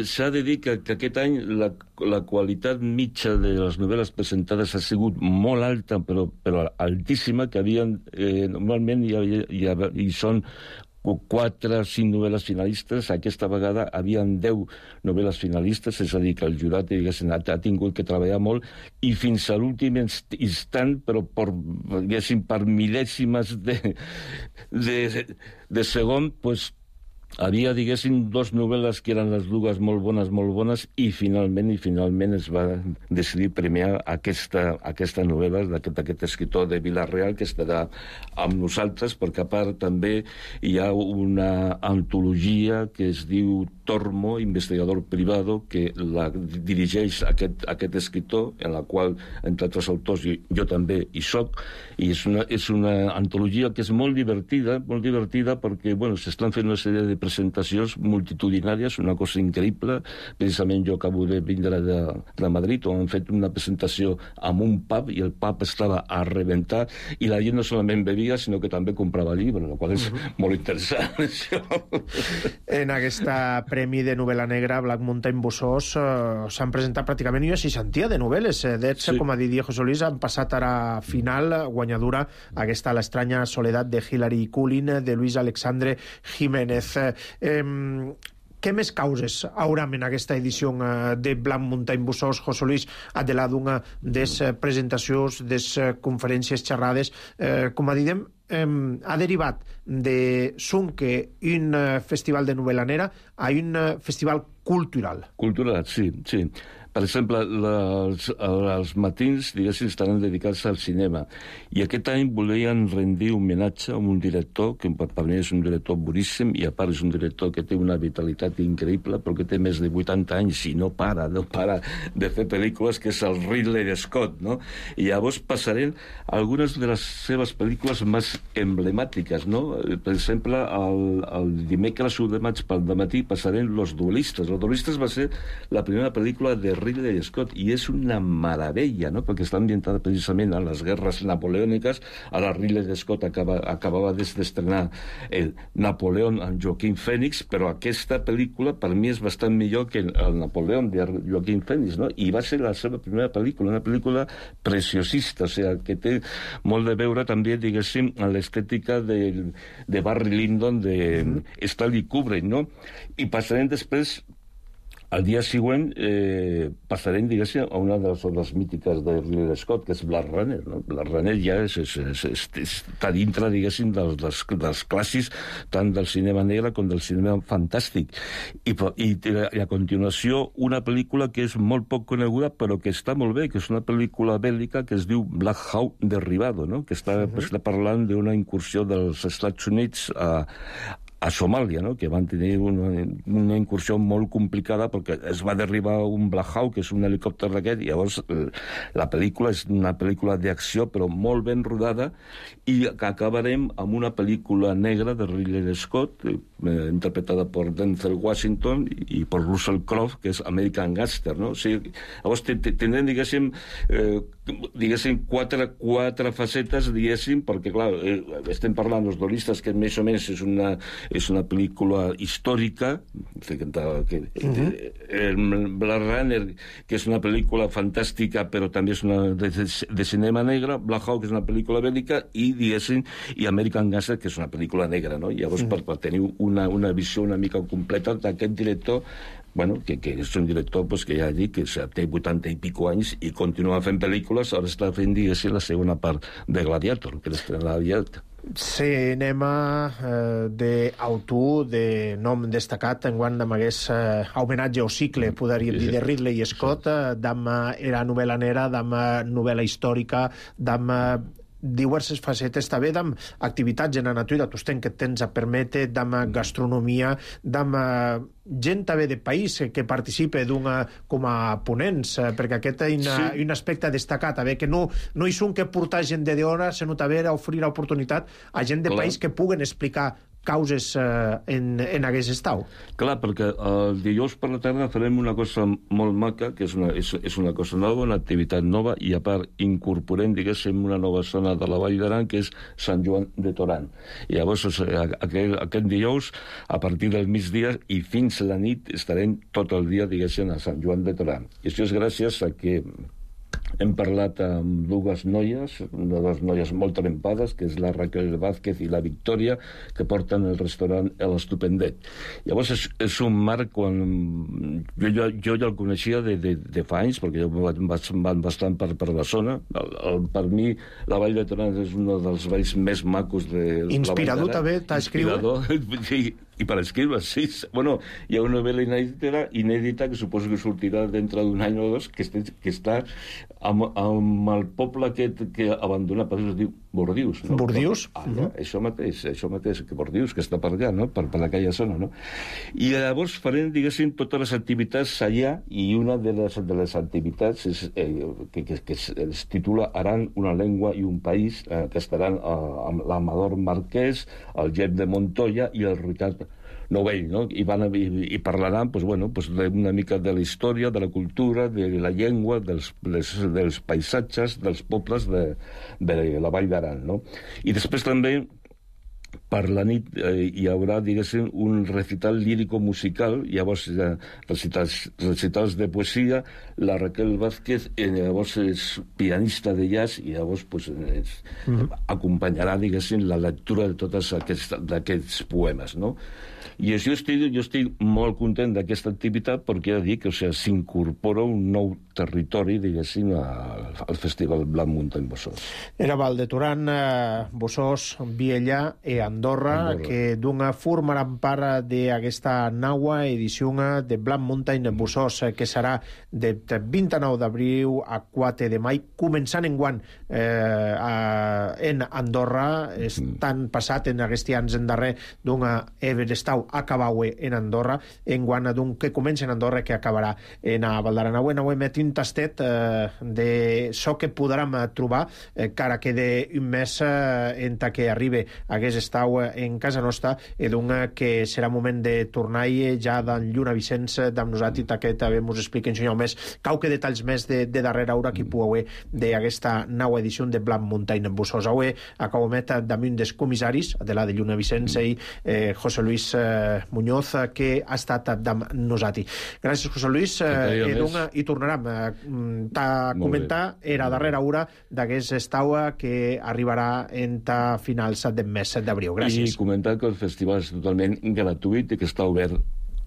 S'ha de dir que aquest any la qualitat mitja de les novel·les presentades ha sigut molt alta, però altíssima, que havien, normalment hi són 4 o 5 novel·les finalistes. Aquesta vegada havien 10 novel·les finalistes, és a dir, que el jurat ha tingut que treballar molt, i fins a l'últim instant, però per mil·lèsimes de segon, doncs havia, diguéssim, 2 novel·les que eren les dues molt bones, i finalment es va decidir premiar aquesta novel·la d'aquest escriptor de Vila-real, que estarà amb nosaltres, perquè a part també hi ha una antologia que es diu Tormo, investigador privado, que la dirigeix aquest escriptor, en la qual, entre altres autors, jo també hi soc, i és una antologia que és molt divertida perquè, bueno, s'estan fent una sèrie de presentacions multitudinàries, una cosa increïble. Precisament jo acabo de vindre de Madrid, on han fet una presentació en un pub, i el pub estava a rebentar, i la gent no solament bevia, sinó que també comprava llibres, la qual és molt interessant, això. En aquesta premi de novel·la negra Black Mountain Busós s'han presentat pràcticament una 60 de novel·les. D'ells, com ha dit Diego Solís, han passat a la final guanyadora aquesta La estranya soledat de Hilary Cullen, de Luis Alexandre Jiménez. Què més causes hauram en aquesta edició de Black Mountain Busós, José Luis, de d'una des presentacions, des conferències xerrades, com a diguem, ha derivat de Sunque, un festival de novel·la negra, a un festival cultural. Cultural, sí. Per exemple, els matins, diguéssim, estaran dedicats al cinema. I aquest any volien rendir homenatge a un director, que per mi és un director boníssim, i a part és un director que té una vitalitat increïble, però que té més de 80 anys i no para de fer pel·lícules, que és el Ridley Scott, no? I llavors passarem algunes de les seves pel·lícules més emblemàtiques, no? Per exemple, el dimecres 1 de maig pel dematí passarem Los duelistes. Los duelistes va ser la primera pel·lícula de Ridley Scott, i és una meravella, no? Perquè està ambientada precisament a les guerres napoleòniques. Ara Ridley Scott acabava d'estrenar el Napoleón amb Joaquín Phoenix, però aquesta pel·lícula per mi és bastant millor que el Napoleón de Joaquín Phoenix, no? I va ser la seva primera pel·lícula, una pel·lícula preciosista, o sigui, que té molt de veure també, diguéssim, en l'estètica de Barry Lyndon, de Stanley Kubrick, no? I passarem després, al dia següent, passarem, diguéssim, a una de les obres mítiques de Ridley Scott, que és Blade Runner, no? Blade Runner ja està dintre, diguéssim, dels clàssics, tant del cinema negre com del cinema fantàstic. I a continuació, una pel·lícula que és molt poc coneguda, però que està molt bé, que és una pel·lícula bèl·lica que es diu Black Hawk Derribado, no? Que està parlant d'una incursió dels Estats Units a Somàlia, no? Que van tenir una incursió molt complicada perquè es va derribar un Black Hawk, que és un helicòpter d'aquest, i llavors la pel·lícula és una pel·lícula d'acció però molt ben rodada, i que acabarem amb una pel·lícula negra de Ridley Scott, interpretada per Denzel Washington i per Russell Crowe, que és American Gangster, no? O sigui, llavors tindrem, diguéssim, quatre facetes, diguéssim, perquè, clar, estem parlant dels dolistes, que més o menys és una pel·lícula històrica, Blade Runner, que és una pel·lícula fantàstica, però també és una de cinema negra, Black Hawk, que és una pel·lícula bèl·lica, i, diguéssim, i American Gangster, que és una pel·lícula negra, no? I llavors, per tenir una visió una mica completa d'aquest director, bueno, que és un director pues, que ja dic que té 80 i pico anys i continua fent pel·lícules, ara està fent, diguéssim, la segona part de Gladiator, que l'estrena aviat. Cinema d'autor de nom destacat enguany amb aquest homenatge o cicle, podríem dir, de Ridley Scott, d'amb era novel·la negra, d'amb novel·la històrica, d'amb diverses facetes, també d'amb activitats en la natura, tu que et tens a permetre, d'amb gastronomia, d'amb gent també de país que participa com a ponents, perquè aquest és un aspecte destacat, que no hi són que portar gent de hora, sinó també ofrir l'oportunitat a gent de país que puguen explicar causes en aquest estat. Clar, perquè el dijous per la tarda farem una cosa molt maca, que és una cosa nova, una activitat nova, i a part incorporem, diguéssim, una nova zona de la Vall d'Aran, que és Sant Joan de Torán. I llavors, aquest dijous, a partir del migdia i fins a la nit, estarem tot el dia, diguéssim, a Sant Joan de Torán. I això és gràcies a que hem parlat amb dues noies molt trempades, que és la Raquel Vázquez i la Victòria, que porten el restaurant l'Estupendet. Llavors és un marc quan jo ja el coneixia de fa anys, perquè jo van bastant per la zona. Per mi la Vall de Torán és un dels valls més macos de la Vall d'Aran. Inspirador també, t'escriure? Sí, i per escriure, sí. Bueno, hi ha una novel·la inèdita que suposo que sortirà dintre d'un any o dos, que està amb el poble que abandona, per això es diu Bordius. No? Bordius? Això mateix, que Bordius, que està per allà, no? per aquella zona. No? I llavors farem, diguéssim, totes les activitats allà, i una de les activitats que es titula Aran, una llengua i un país, que estaran amb l'Amador Marquès, el Jep de Montoya i el Ricard Novell, no? I parlaran una mica de la història, de la cultura, de la llengua, dels paisatges, dels pobles de la Vall d'Aran, no? I després també per la nit hi haurà, diguéssim, un recital lírico-musical, llavors recitals de poesia, la Raquel Vázquez llavors és pianista de jazz i llavors acompanyarà, diguéssim, la lectura de tots aquests poemes, no? I jo estic molt content d'aquesta activitat perquè ja dic que s'incorpora un nou territori, diguéssim, al Festival Black Mountain Bossós. Era Val de Torán, Bossós, Viella e Andorra, que formaran part d'aquesta nova edició de Black Mountain Bossós, que serà de 29 d'abril a 4 de maig, començant enguany en Andorra, estan passat en aquests anys en darrer Everestau acabaue en Andorra, enguany que comença en Andorra que acabarà en Val d'Aran. Avui met un tastet de so que podrem trobar cara que d'un mes en que arribi aquest estau en casa nostra, i que serà moment de tornar ja d'en Lluna Vicenç d'amb nosaltres, que també ens expliquen més qualque detalls més de darrera hora que puc haver d'aquesta nova edició de Black Mountain Bossós. Avui acabo met damunt dels comissaris de la de Lluna Vicenç i José Luis Muñoz, que ha estat amb nosaltres. Gràcies, José Luis, i tornarem a comentar la darrera hora d'aquest estau que arribarà entre finals del mes d'abril. Gràcies. I comentar que el festival és totalment gratuït i que està obert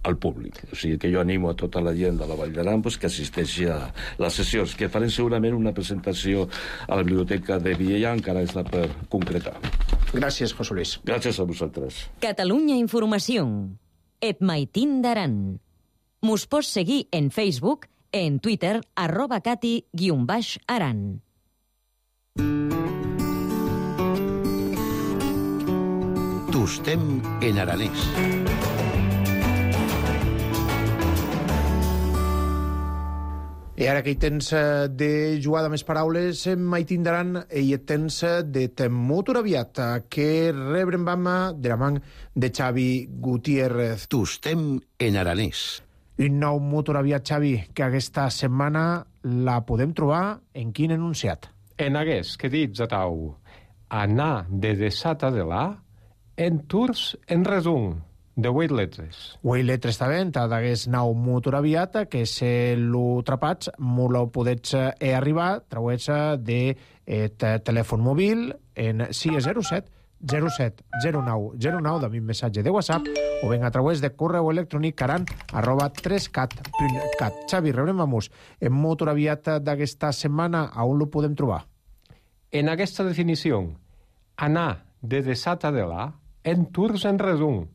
al públic. O sigui que jo animo a tota la gent de la Vall d'Aran que assisteixi a les sessions, que farem segurament una presentació a la biblioteca de Viella, encara està per concretar. Gràcies, José Luis. Gràcies a vosaltres. Catalunya Informació. Et Maitín d'Aran. Mos pots seguir en Facebook, en Twitter, @cati_aran. Tu Tostem en aranès. I ara que hi tens de jugar de més paraules, mai tindran i et tens de temut aviat, que rebrem vam de la man de Xavi Gutiérrez. Tostem en aranès. Un nou motor aviat, Xavi, que aquesta setmana la podem trobar en quin enunciat? En hagués que dits a tau, anar de desata de la, en tours en resum, de 8 letres. 8 letres també, d'aguest nou motor aviat, que se lo trapats, molt ho podets arribar, trauets de telèfon mòbil en 607 07 09 09 de mi missatge de WhatsApp o ben a través de correu electrònic caran@3cat.cat. Xavi, rebrem amb en motor aviat d'aquesta setmana, a on lo podem trobar? En aquesta definició, anar de desata de la, en tours en resum,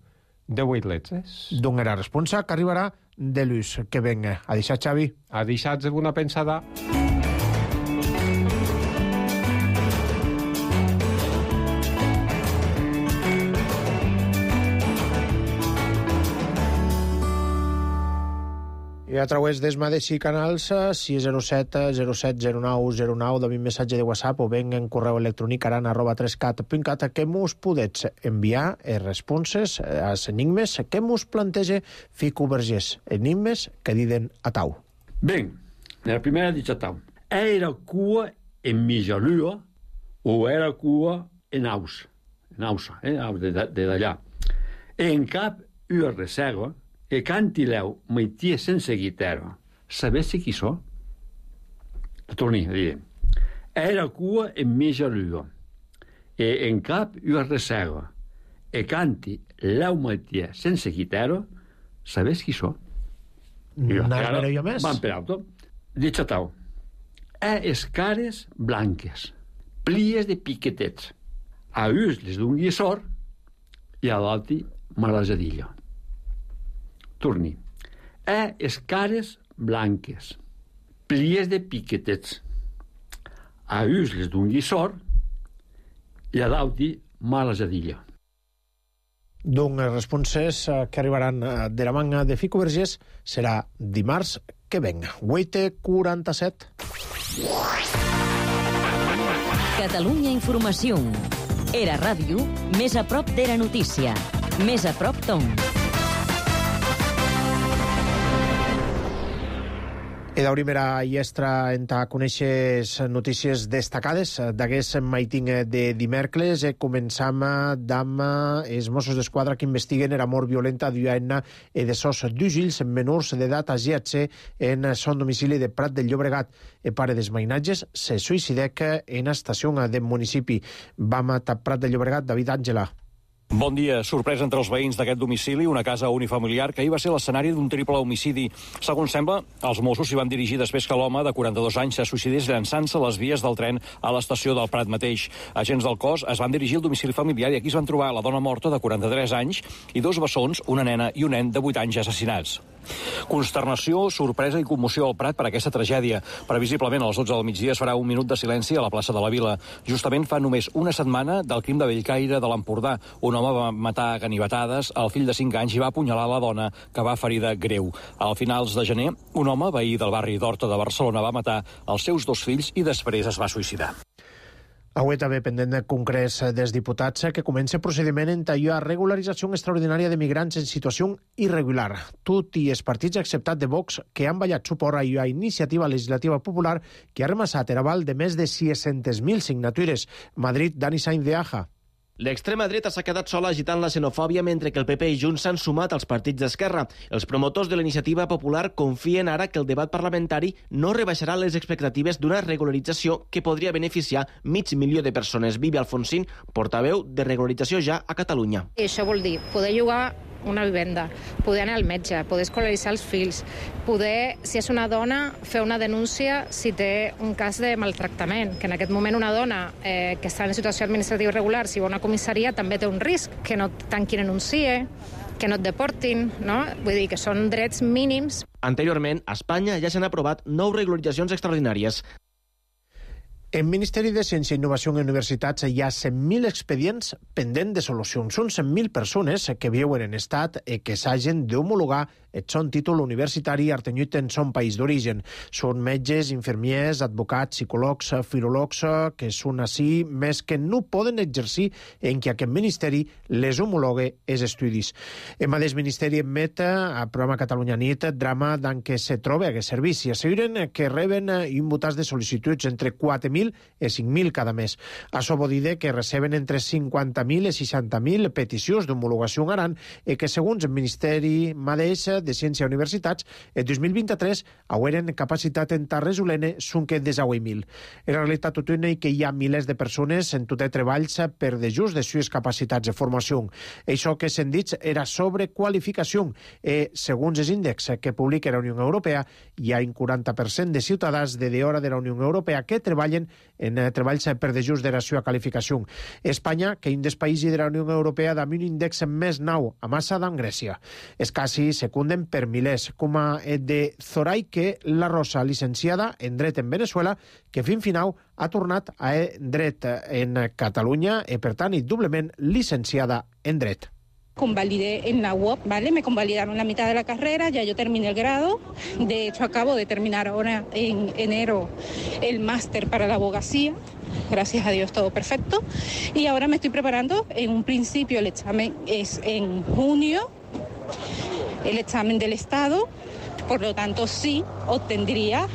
de 8 letres. D'on era responsa que arribarà de l'ús que venga. A deixar, Xavi. A deixar-vos una pensada. I a través dels mateixos canals 607 07 09 09 de mi missatge de WhatsApp o ben en correu electrònic aran@3cat.cat que mos podets enviar responses als enigmes que mos plantege Fico Vergés. Enigmes que diden a tau. Ben, la primera dice a tau. Era cua en Mijalua o era cua en Aus? En Ausa, de d'allà. En cap ua reserva e cantileu meitia sense guitarra. Sabessi qui so? Torni a dir. Era cua en Mijalua e en cap ua reserva e canti leu meitia sense guitarra. Sabes qui so? N'has jo més? Van per alto. Dice tau. Es cares blanques, plies de piquetets. A uns les d'un guissor i a l'altre malasadilla. Torni. Es cares blanques, plies de piquetets. A uns les d'un guissor i a l'altre malasadilla. Doncs responses que arribaran de la manga de Fico Vergés serà dimarts que venga. 8:47. Catalunya Informació. Era ràdio, més a prop d'Era Notícia. Més a prop d'on. I d'Aurimera i Estra en ta coneixes notícies destacades d'aquest maiting de dimecres. Començam amb els Mossos d'Esquadra que investiguen era mort violenta d'una de sos d'ugills menors d'edat a GHC en son domicili de Prat del Llobregat. El pare dels mainatges se suïcidec en estació del municipi. Vam a Prat del Llobregat, David Àngela. Bon dia. Sorpresa entre els veïns d'aquest domicili, una casa unifamiliar que ahir va ser l'escenari d'un triple homicidi. Segons sembla, els Mossos s'hi van dirigir després que l'home de 42 anys se suïcidés llançant-se a les vies del tren a l'estació del Prat mateix. Agents del cos es van dirigir al domicili familiar i aquí es van trobar la dona morta de 43 anys i dos bessons, una nena i un nen de 8 anys assassinats. Consternació, sorpresa i commoció al Prat per aquesta tragèdia. Previsiblement, a les 12 del migdia es farà un minut de silenci a la plaça de la Vila. Justament fa només una setmana del crim de Bellcaire de l'Empordà. Un home va matar a ganivetades el fill de 5 anys i va apunyalar la dona, que va ferida greu. Al finals de gener, un home, veí del barri d'Horta de Barcelona, va matar els seus 2 fills i després es va suïcidar. Avui també pendent de congrés dels diputats que comença procediment en tallar regularització extraordinària de migrants en situació irregular. Tot i els partits acceptats de Vox que han ballat suport a la iniciativa legislativa popular que ha remassat el aval de més de 600.000 signatures. Madrid, Dani Sainz de Aja. L'extrema dreta s'ha quedat sola agitant la xenofòbia mentre que el PP i Junts s'han sumat als partits d'esquerra. Els promotors de la iniciativa popular confien ara que el debat parlamentari no rebaixarà les expectatives d'una regularització que podria beneficiar 500.000 de persones. Vivi Alfonsín, portaveu de regularització ja a Catalunya. I això vol dir poder llogar una vivenda, poder anar al metge, poder escolaritzar els fills, poder, si és una dona, fer una denúncia si té un cas de maltractament, que en aquest moment una dona que està en situació administrativa irregular, si va a una comissaria, també té un risc, que no tanquin en un CIE, que no et deportin, no? Vull dir que són drets mínims. Anteriorment, a Espanya ja s'han aprovat 9 regularitzacions extraordinàries. En Ministeri de Ciència i Innovació en Universitats hi ha 100.000 expedients pendents de solució. Són 100.000 persones que viuen en estat i que s'hagin d'homologar el son títol universitari artenyut en son país d'origen. Són metges, infermiers, advocats, psicòlegs, filòlegs, que són així, més que no poden exercir en què aquest ministeri les homologue els estudis. El mateix ministeri emet al programa Catalunya Nit drama d'en què se troba aquest servici. Asseguren que reben imputats de sol·licituds entre 4.000 i 5.000 cada mes. Això vol dir que receben entre 50.000 i 60.000 peticions d'homologació en Aran i que, segons el Ministeri mateix de Ciència i Universitats, el 2023 hauran capacitat en resolent són que 18.000. En realitat, tot i que hi ha milers de persones en tot el treballs per de just de sues capacitats de formació. Això que s'han dit era sobrequalificació. Segons els índexs que publica la Unió Europea, hi ha un 40% de ciutadans de hora de la Unió Europea que treballen en treballs per de just de la seva qualificació. Espanya, que és un dels països de la Unió Europea amb un índex més nou a massa d'en Grècia. És quasi secunden per milers, com el de Zoraike La Rosa, licenciada en dret en Venezuela, que fins final ha tornat a dret en Catalunya i, per tant, doblement licenciada en dret. Convalidé en la UOP, ¿vale? Me convalidaron la mitad de la carrera, ya yo terminé el grado. De hecho, acabo de terminar ahora en enero el máster para la abogacía. Gracias a Dios, todo perfecto. Y ahora me estoy preparando. En un principio el examen es en junio, el examen del Estado. Por lo tanto, sí obtendría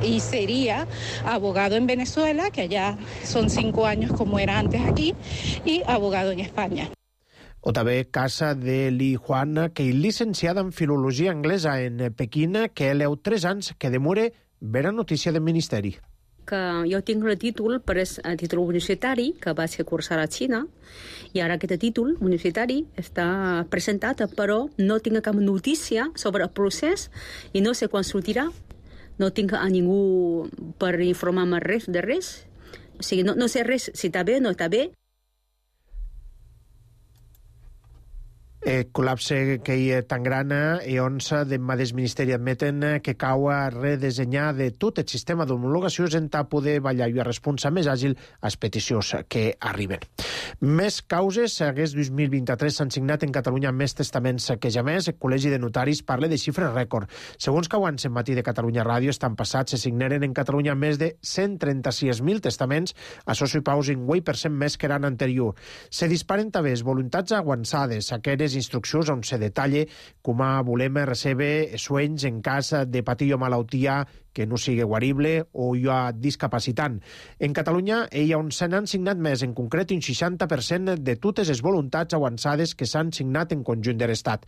y sería abogado en Venezuela, que allá son 5 años como era antes aquí, y abogado en España. O també casa de Li Juan, que és llicenciada en Filologia Anglesa en Pequín, que leu 3 anys que demora vera notícia del Ministeri. Que jo tinc el títol, però és el títol universitari, que va ser cursar a Xina, i ara aquest títol universitari està presentat, però no tinc cap notícia sobre el procés i no sé quan sortirà. No tinc a ningú per informar-me res de res. O sigui, no sé res si està bé o no està bé. Col·lapse que hi és tan gran i on del mateix Ministeri admeten que cau a redesenyar de tot el sistema d'homologacions en poder ballar i a responsar més àgil les peticions que arriben. Més causes. Aquest 2023 s'han signat en Catalunya més testaments que ja més. El Col·legi de Notaris parla de xifres rècord. Segons que abans en matí de Catalunya Ràdio estan passats, se signaren en Catalunya més de 136.000 testaments, això suposa un 8% més que l'any anterior. Se disparen també les voluntats avançades, aquelles instruccions on se detalla com volem recebre suenys en cas de patir o malaltia que no sigui guarible o hi ha discapacitant. En Catalunya hi ha on se n'han signat més, en concret un 60% de totes les voluntats avançades que s'han signat en conjunt de l'Estat.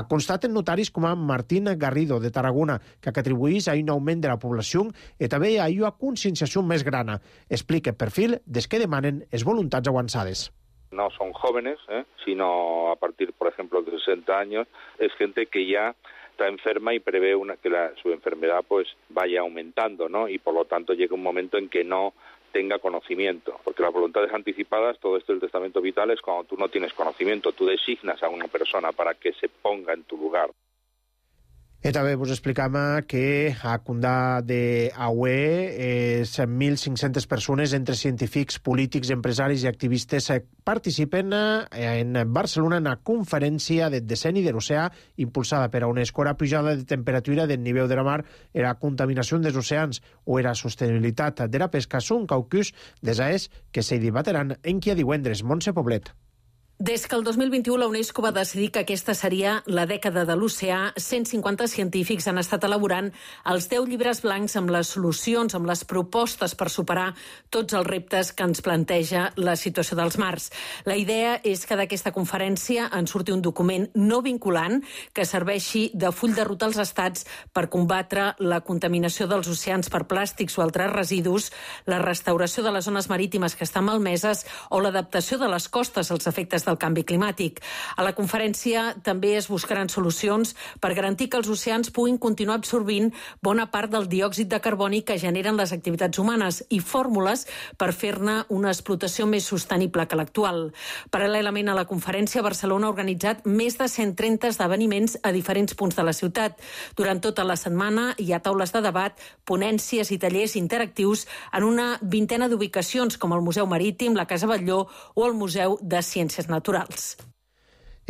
Constaten notaris com Martín Garrido, de Tarragona, que atribueix a un augment de la població i també a una conscienciació més grana. Explica el perfil des que demanen les voluntats avançades. No son jóvenes, sino a partir, por ejemplo, de 60 años. Es gente que ya está enferma y prevé que su enfermedad pues vaya aumentando, ¿no? Y por lo tanto llega un momento en que no tenga conocimiento. Porque las voluntades anticipadas, todo esto del testamento vital, es cuando tú no tienes conocimiento, tú designas a una persona para que se ponga en tu lugar. I també vos explicam que a Condà de Aue 1.500 persones, entre científics, polítics, empresaris i activistes, participen en Barcelona en una conferència del decenni de l'oceà impulsada per a UNESCO. La pujada de temperatura del nivell de la mar, la contaminació dels oceans o la sostenibilitat de la pesca són caucus desaers que se debatran en qui a divendres. Montse Poblet. Des que el 2021 la UNESCO va decidir que aquesta seria la dècada de l'oceà, 150 científics han estat elaborant els 10 llibres blancs amb les solucions, amb les propostes per superar tots els reptes que ens planteja la situació dels mars. La idea és que d'aquesta conferència en surti un document no vinculant que serveixi de full de ruta als estats per combatre la contaminació dels oceans per plàstics o altres residus, la restauració de les zones marítimes que estan malmeses o l'adaptació de les costes als efectes del canvi climàtic. A la conferència també es buscaran solucions per garantir que els oceans puguin continuar absorbint bona part del diòxid de carboni que generen les activitats humanes i fórmules per fer-ne una explotació més sostenible que l'actual. Paral·lelament a la conferència, Barcelona ha organitzat més de 130 esdeveniments a diferents punts de la ciutat. Durant tota la setmana hi ha taules de debat, ponències i tallers interactius en una vintena d'ubicacions, com el Museu Marítim, la Casa Batlló o el Museu de Ciències Naturals.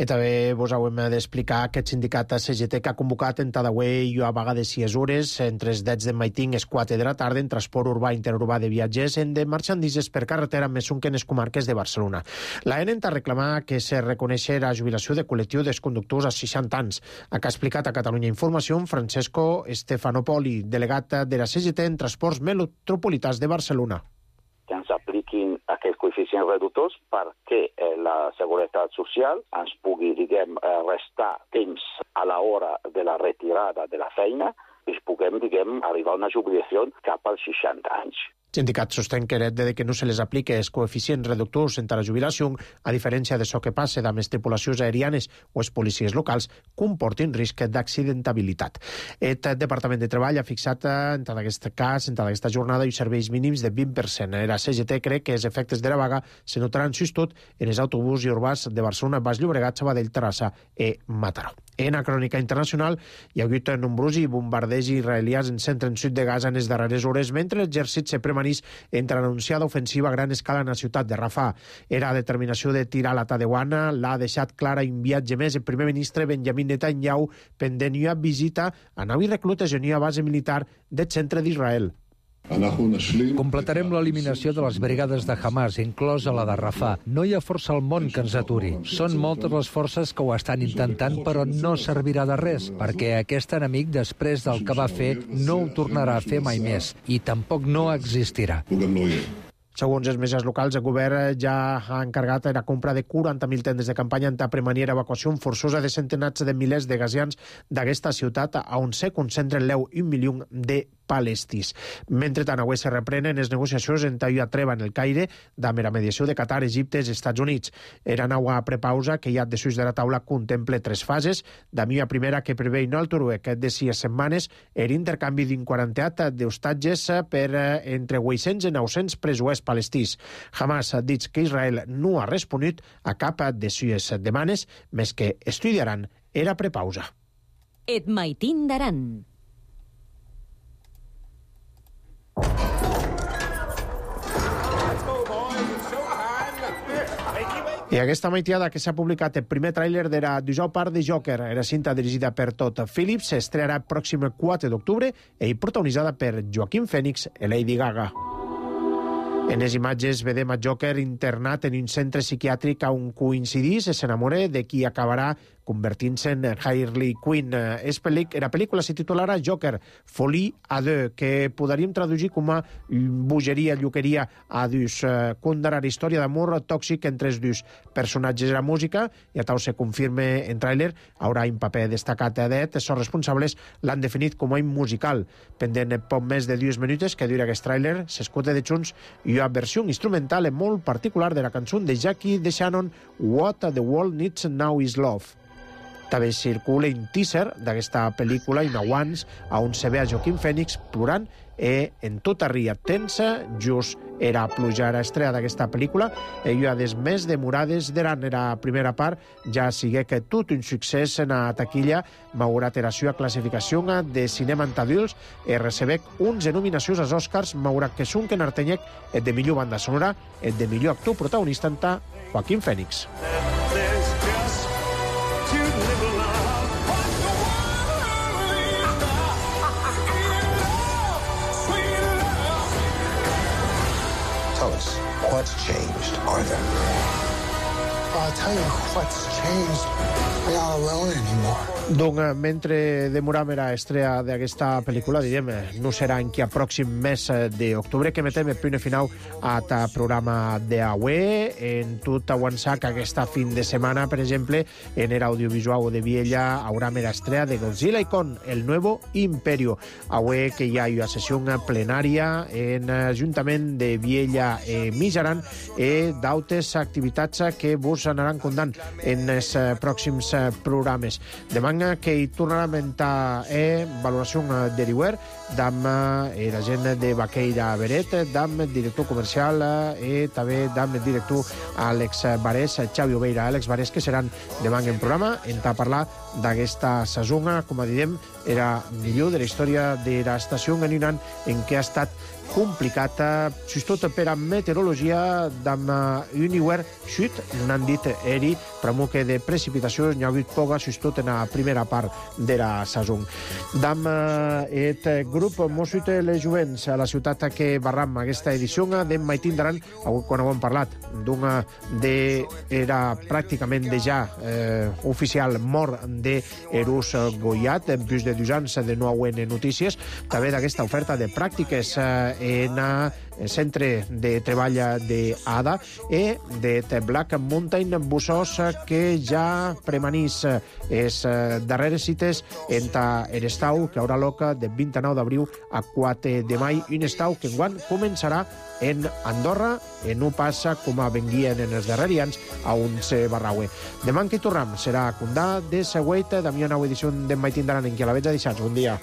I també vos hem d'explicar aquest sindicat CGT que ha convocat en Tadaway i a vaga de 6 hores entre els 10 de maitín i les 4 de la tarda en transport urbà i interurbà de viatgers en de marxandises per carretera més un que en les comarques de Barcelona. La ENE ha reclamat que se reconeixi la jubilació de col·lectiu dels conductors a 60 anys. Ha explicat a Catalunya Informació Francesco Stefanopoli, delegat de la CGT en transports metropolitans de Barcelona. Que ens apliquin aquests coeficients reductors perquè la Seguretat Social ens pugui, restar temps a l'hora de la retirada de la feina i puguem, arribar a una jubilació cap als 60 anys. Sindicat sostén que heret de que no se les aplique els coeficients reductors entre la jubilació, a diferència de això que passa amb les tripulacions aerianes o les policies locals, comportin risc d'accidentabilitat. El Departament de Treball ha fixat en tot aquest cas, en tota aquesta jornada, i serveis mínims de 20%. La CGT crec que els efectes de la vaga se notaran sobretot en els autobusos i urbans de Barcelona, Baix Llobregat, Sabadell, Terrassa i Mataró. En la crònica internacional hi ha hagut nombrosos bombardejos israelians en centre en sud de Gaza en les darreres hores, mentre l'exèrcit se premanís entre l'anunciada ofensiva a gran escala en la ciutat de Rafah. Era determinació de tirar la Tadewana, l'ha deixat clara un viatge més el primer ministre Benjamin Netanyahu pendent una visita a nau i reclutes en una base militar del centre d'Israel. Completarem l'eliminació de les brigades de Hamas, inclosa la de Rafah. No hi ha força al món que ens aturi. Són moltes les forces que ho estan intentant, però no servirà de res, perquè aquest enemic, després del que va fer, no ho tornarà a fer mai més, i tampoc no existirà. Segons els metges locals, el govern ja ha encarregat la compra de 40.000 tendes de campanya en prevenir evacuació forçosa de centenars de milers de gazians d'aquesta ciutat on se concentren l'1 milió de palestins. Mentrestant, avui se reprenen les negociacions entre una treva en el Caire amb la mediació de Qatar, Egipte i Estats Units. Era una prepausa que ja de sus de la taula contemple 3 fases. D'ami una primera que prevé un altre de 6 setmanes l'intercanvi d'un 40 d'hostatges per entre 800 i 900 presos palestins. Hamas ha dit que Israel no ha respost a cap de les demandes, més que estudiaran era prepausa. Et maitín d'Aran. I aquesta maitiada que s'ha publicat el primer tràiler de la 19 part de Joker, era cinta dirigida per Todd Phillips, s'estrenarà el pròxim 4 d'octubre i protagonitzada per Joaquin Phoenix i Lady Gaga. En les imatges vedem a Joker internat en un centre psiquiàtric on coincidís i s'enamora de qui acabarà convertint-se en Harley Quinn. La pel·lícula se titularà Joker, Folie à deux, que podríem traduir com a bogeria, lluqueria a dos. Contarà la història d'amor tòxic entre els dos personatges. La música, ja tal se confirma en tràiler, haurà un paper destacat d'Ed. Els responsables l'han definit com a un musical. Pendent poc més de 2 minutes que dura aquest tràiler, s'escolta de junts i una versió instrumental molt particular de la cançó de Jackie DeShannon, What the World Needs Now is Love. També circula un teaser d'aquesta pel·lícula, un abans, on se ve a Joaquin Phoenix plorant en tota ria tensa, just era plujar a estrella d'aquesta pel·lícula, i ha des més demorades d'Aran. La primera part ja sigue que tot un succés en la taquilla, malgrat la seva classificació de cinema en adults, recebec 11 nominacions als Oscars, malgrat que són que n'artenyec el de millor banda sonora, el de millor actor protagonista en Joaquin Phoenix. Tell us, what's changed, Arthur? I'll tell you what's changed. I'm not alone anymore. Donc, mentre demorem l'estrella d'aquesta pel·lícula, direm, no serà en qui a pròxim mes d'octubre que metem el punt final a ta programa d'avui. En tot avançar que aquesta fin de setmana, per exemple, en l'audiovisual de Viella haurà l'estrella de Godzilla y Kong, el nuevo imperio. Avui que hi ha una sessió plenària en l'Ajuntament de Viella i Mijaran i d'altres activitats que vos us anaran contant en els pròxims programes. Demà que hi tornarà a mentar valoració de Riuer, d'am la gent de Baqueira Beret, d'am director comercial i també d'am director Àlex Barès, Xavi Obeira, Àlex Barès, que seran demà en programa, a parlar d'aquesta saison, com a diem, era millor de la història de l'estació en un any en què ha estat complicat, sobretot per a meteorologia, d'am un hivern xut, n'han dit eri, però que de precipitació n'hi ha hagut poca, sobretot en la primera part de la saison. D'am et grup Mossuit les Jovents a la ciutat que barram aquesta edició d'en Maitín d'Aran, quan ho hem parlat, d'una era pràcticament ja oficial mort d'Erus Goiat, en plus de 2 anys de no haver notícies, també d'aquesta oferta de pràctiques en el centre de treball d'ADA i de Black Mountain Bussos, que ja premanís les darreres cites en l'estau que haurà lloc de 29 d'abril a 4 de mai, un estau que enguany començarà en Andorra, i no passa com a venguien en els darrers anys a uns Barraue. Demà que hi tornem serà Condà de Següeit, Damià, nova edició d'en Maitín d'Aran, en què la veig a deixats. Bon dia.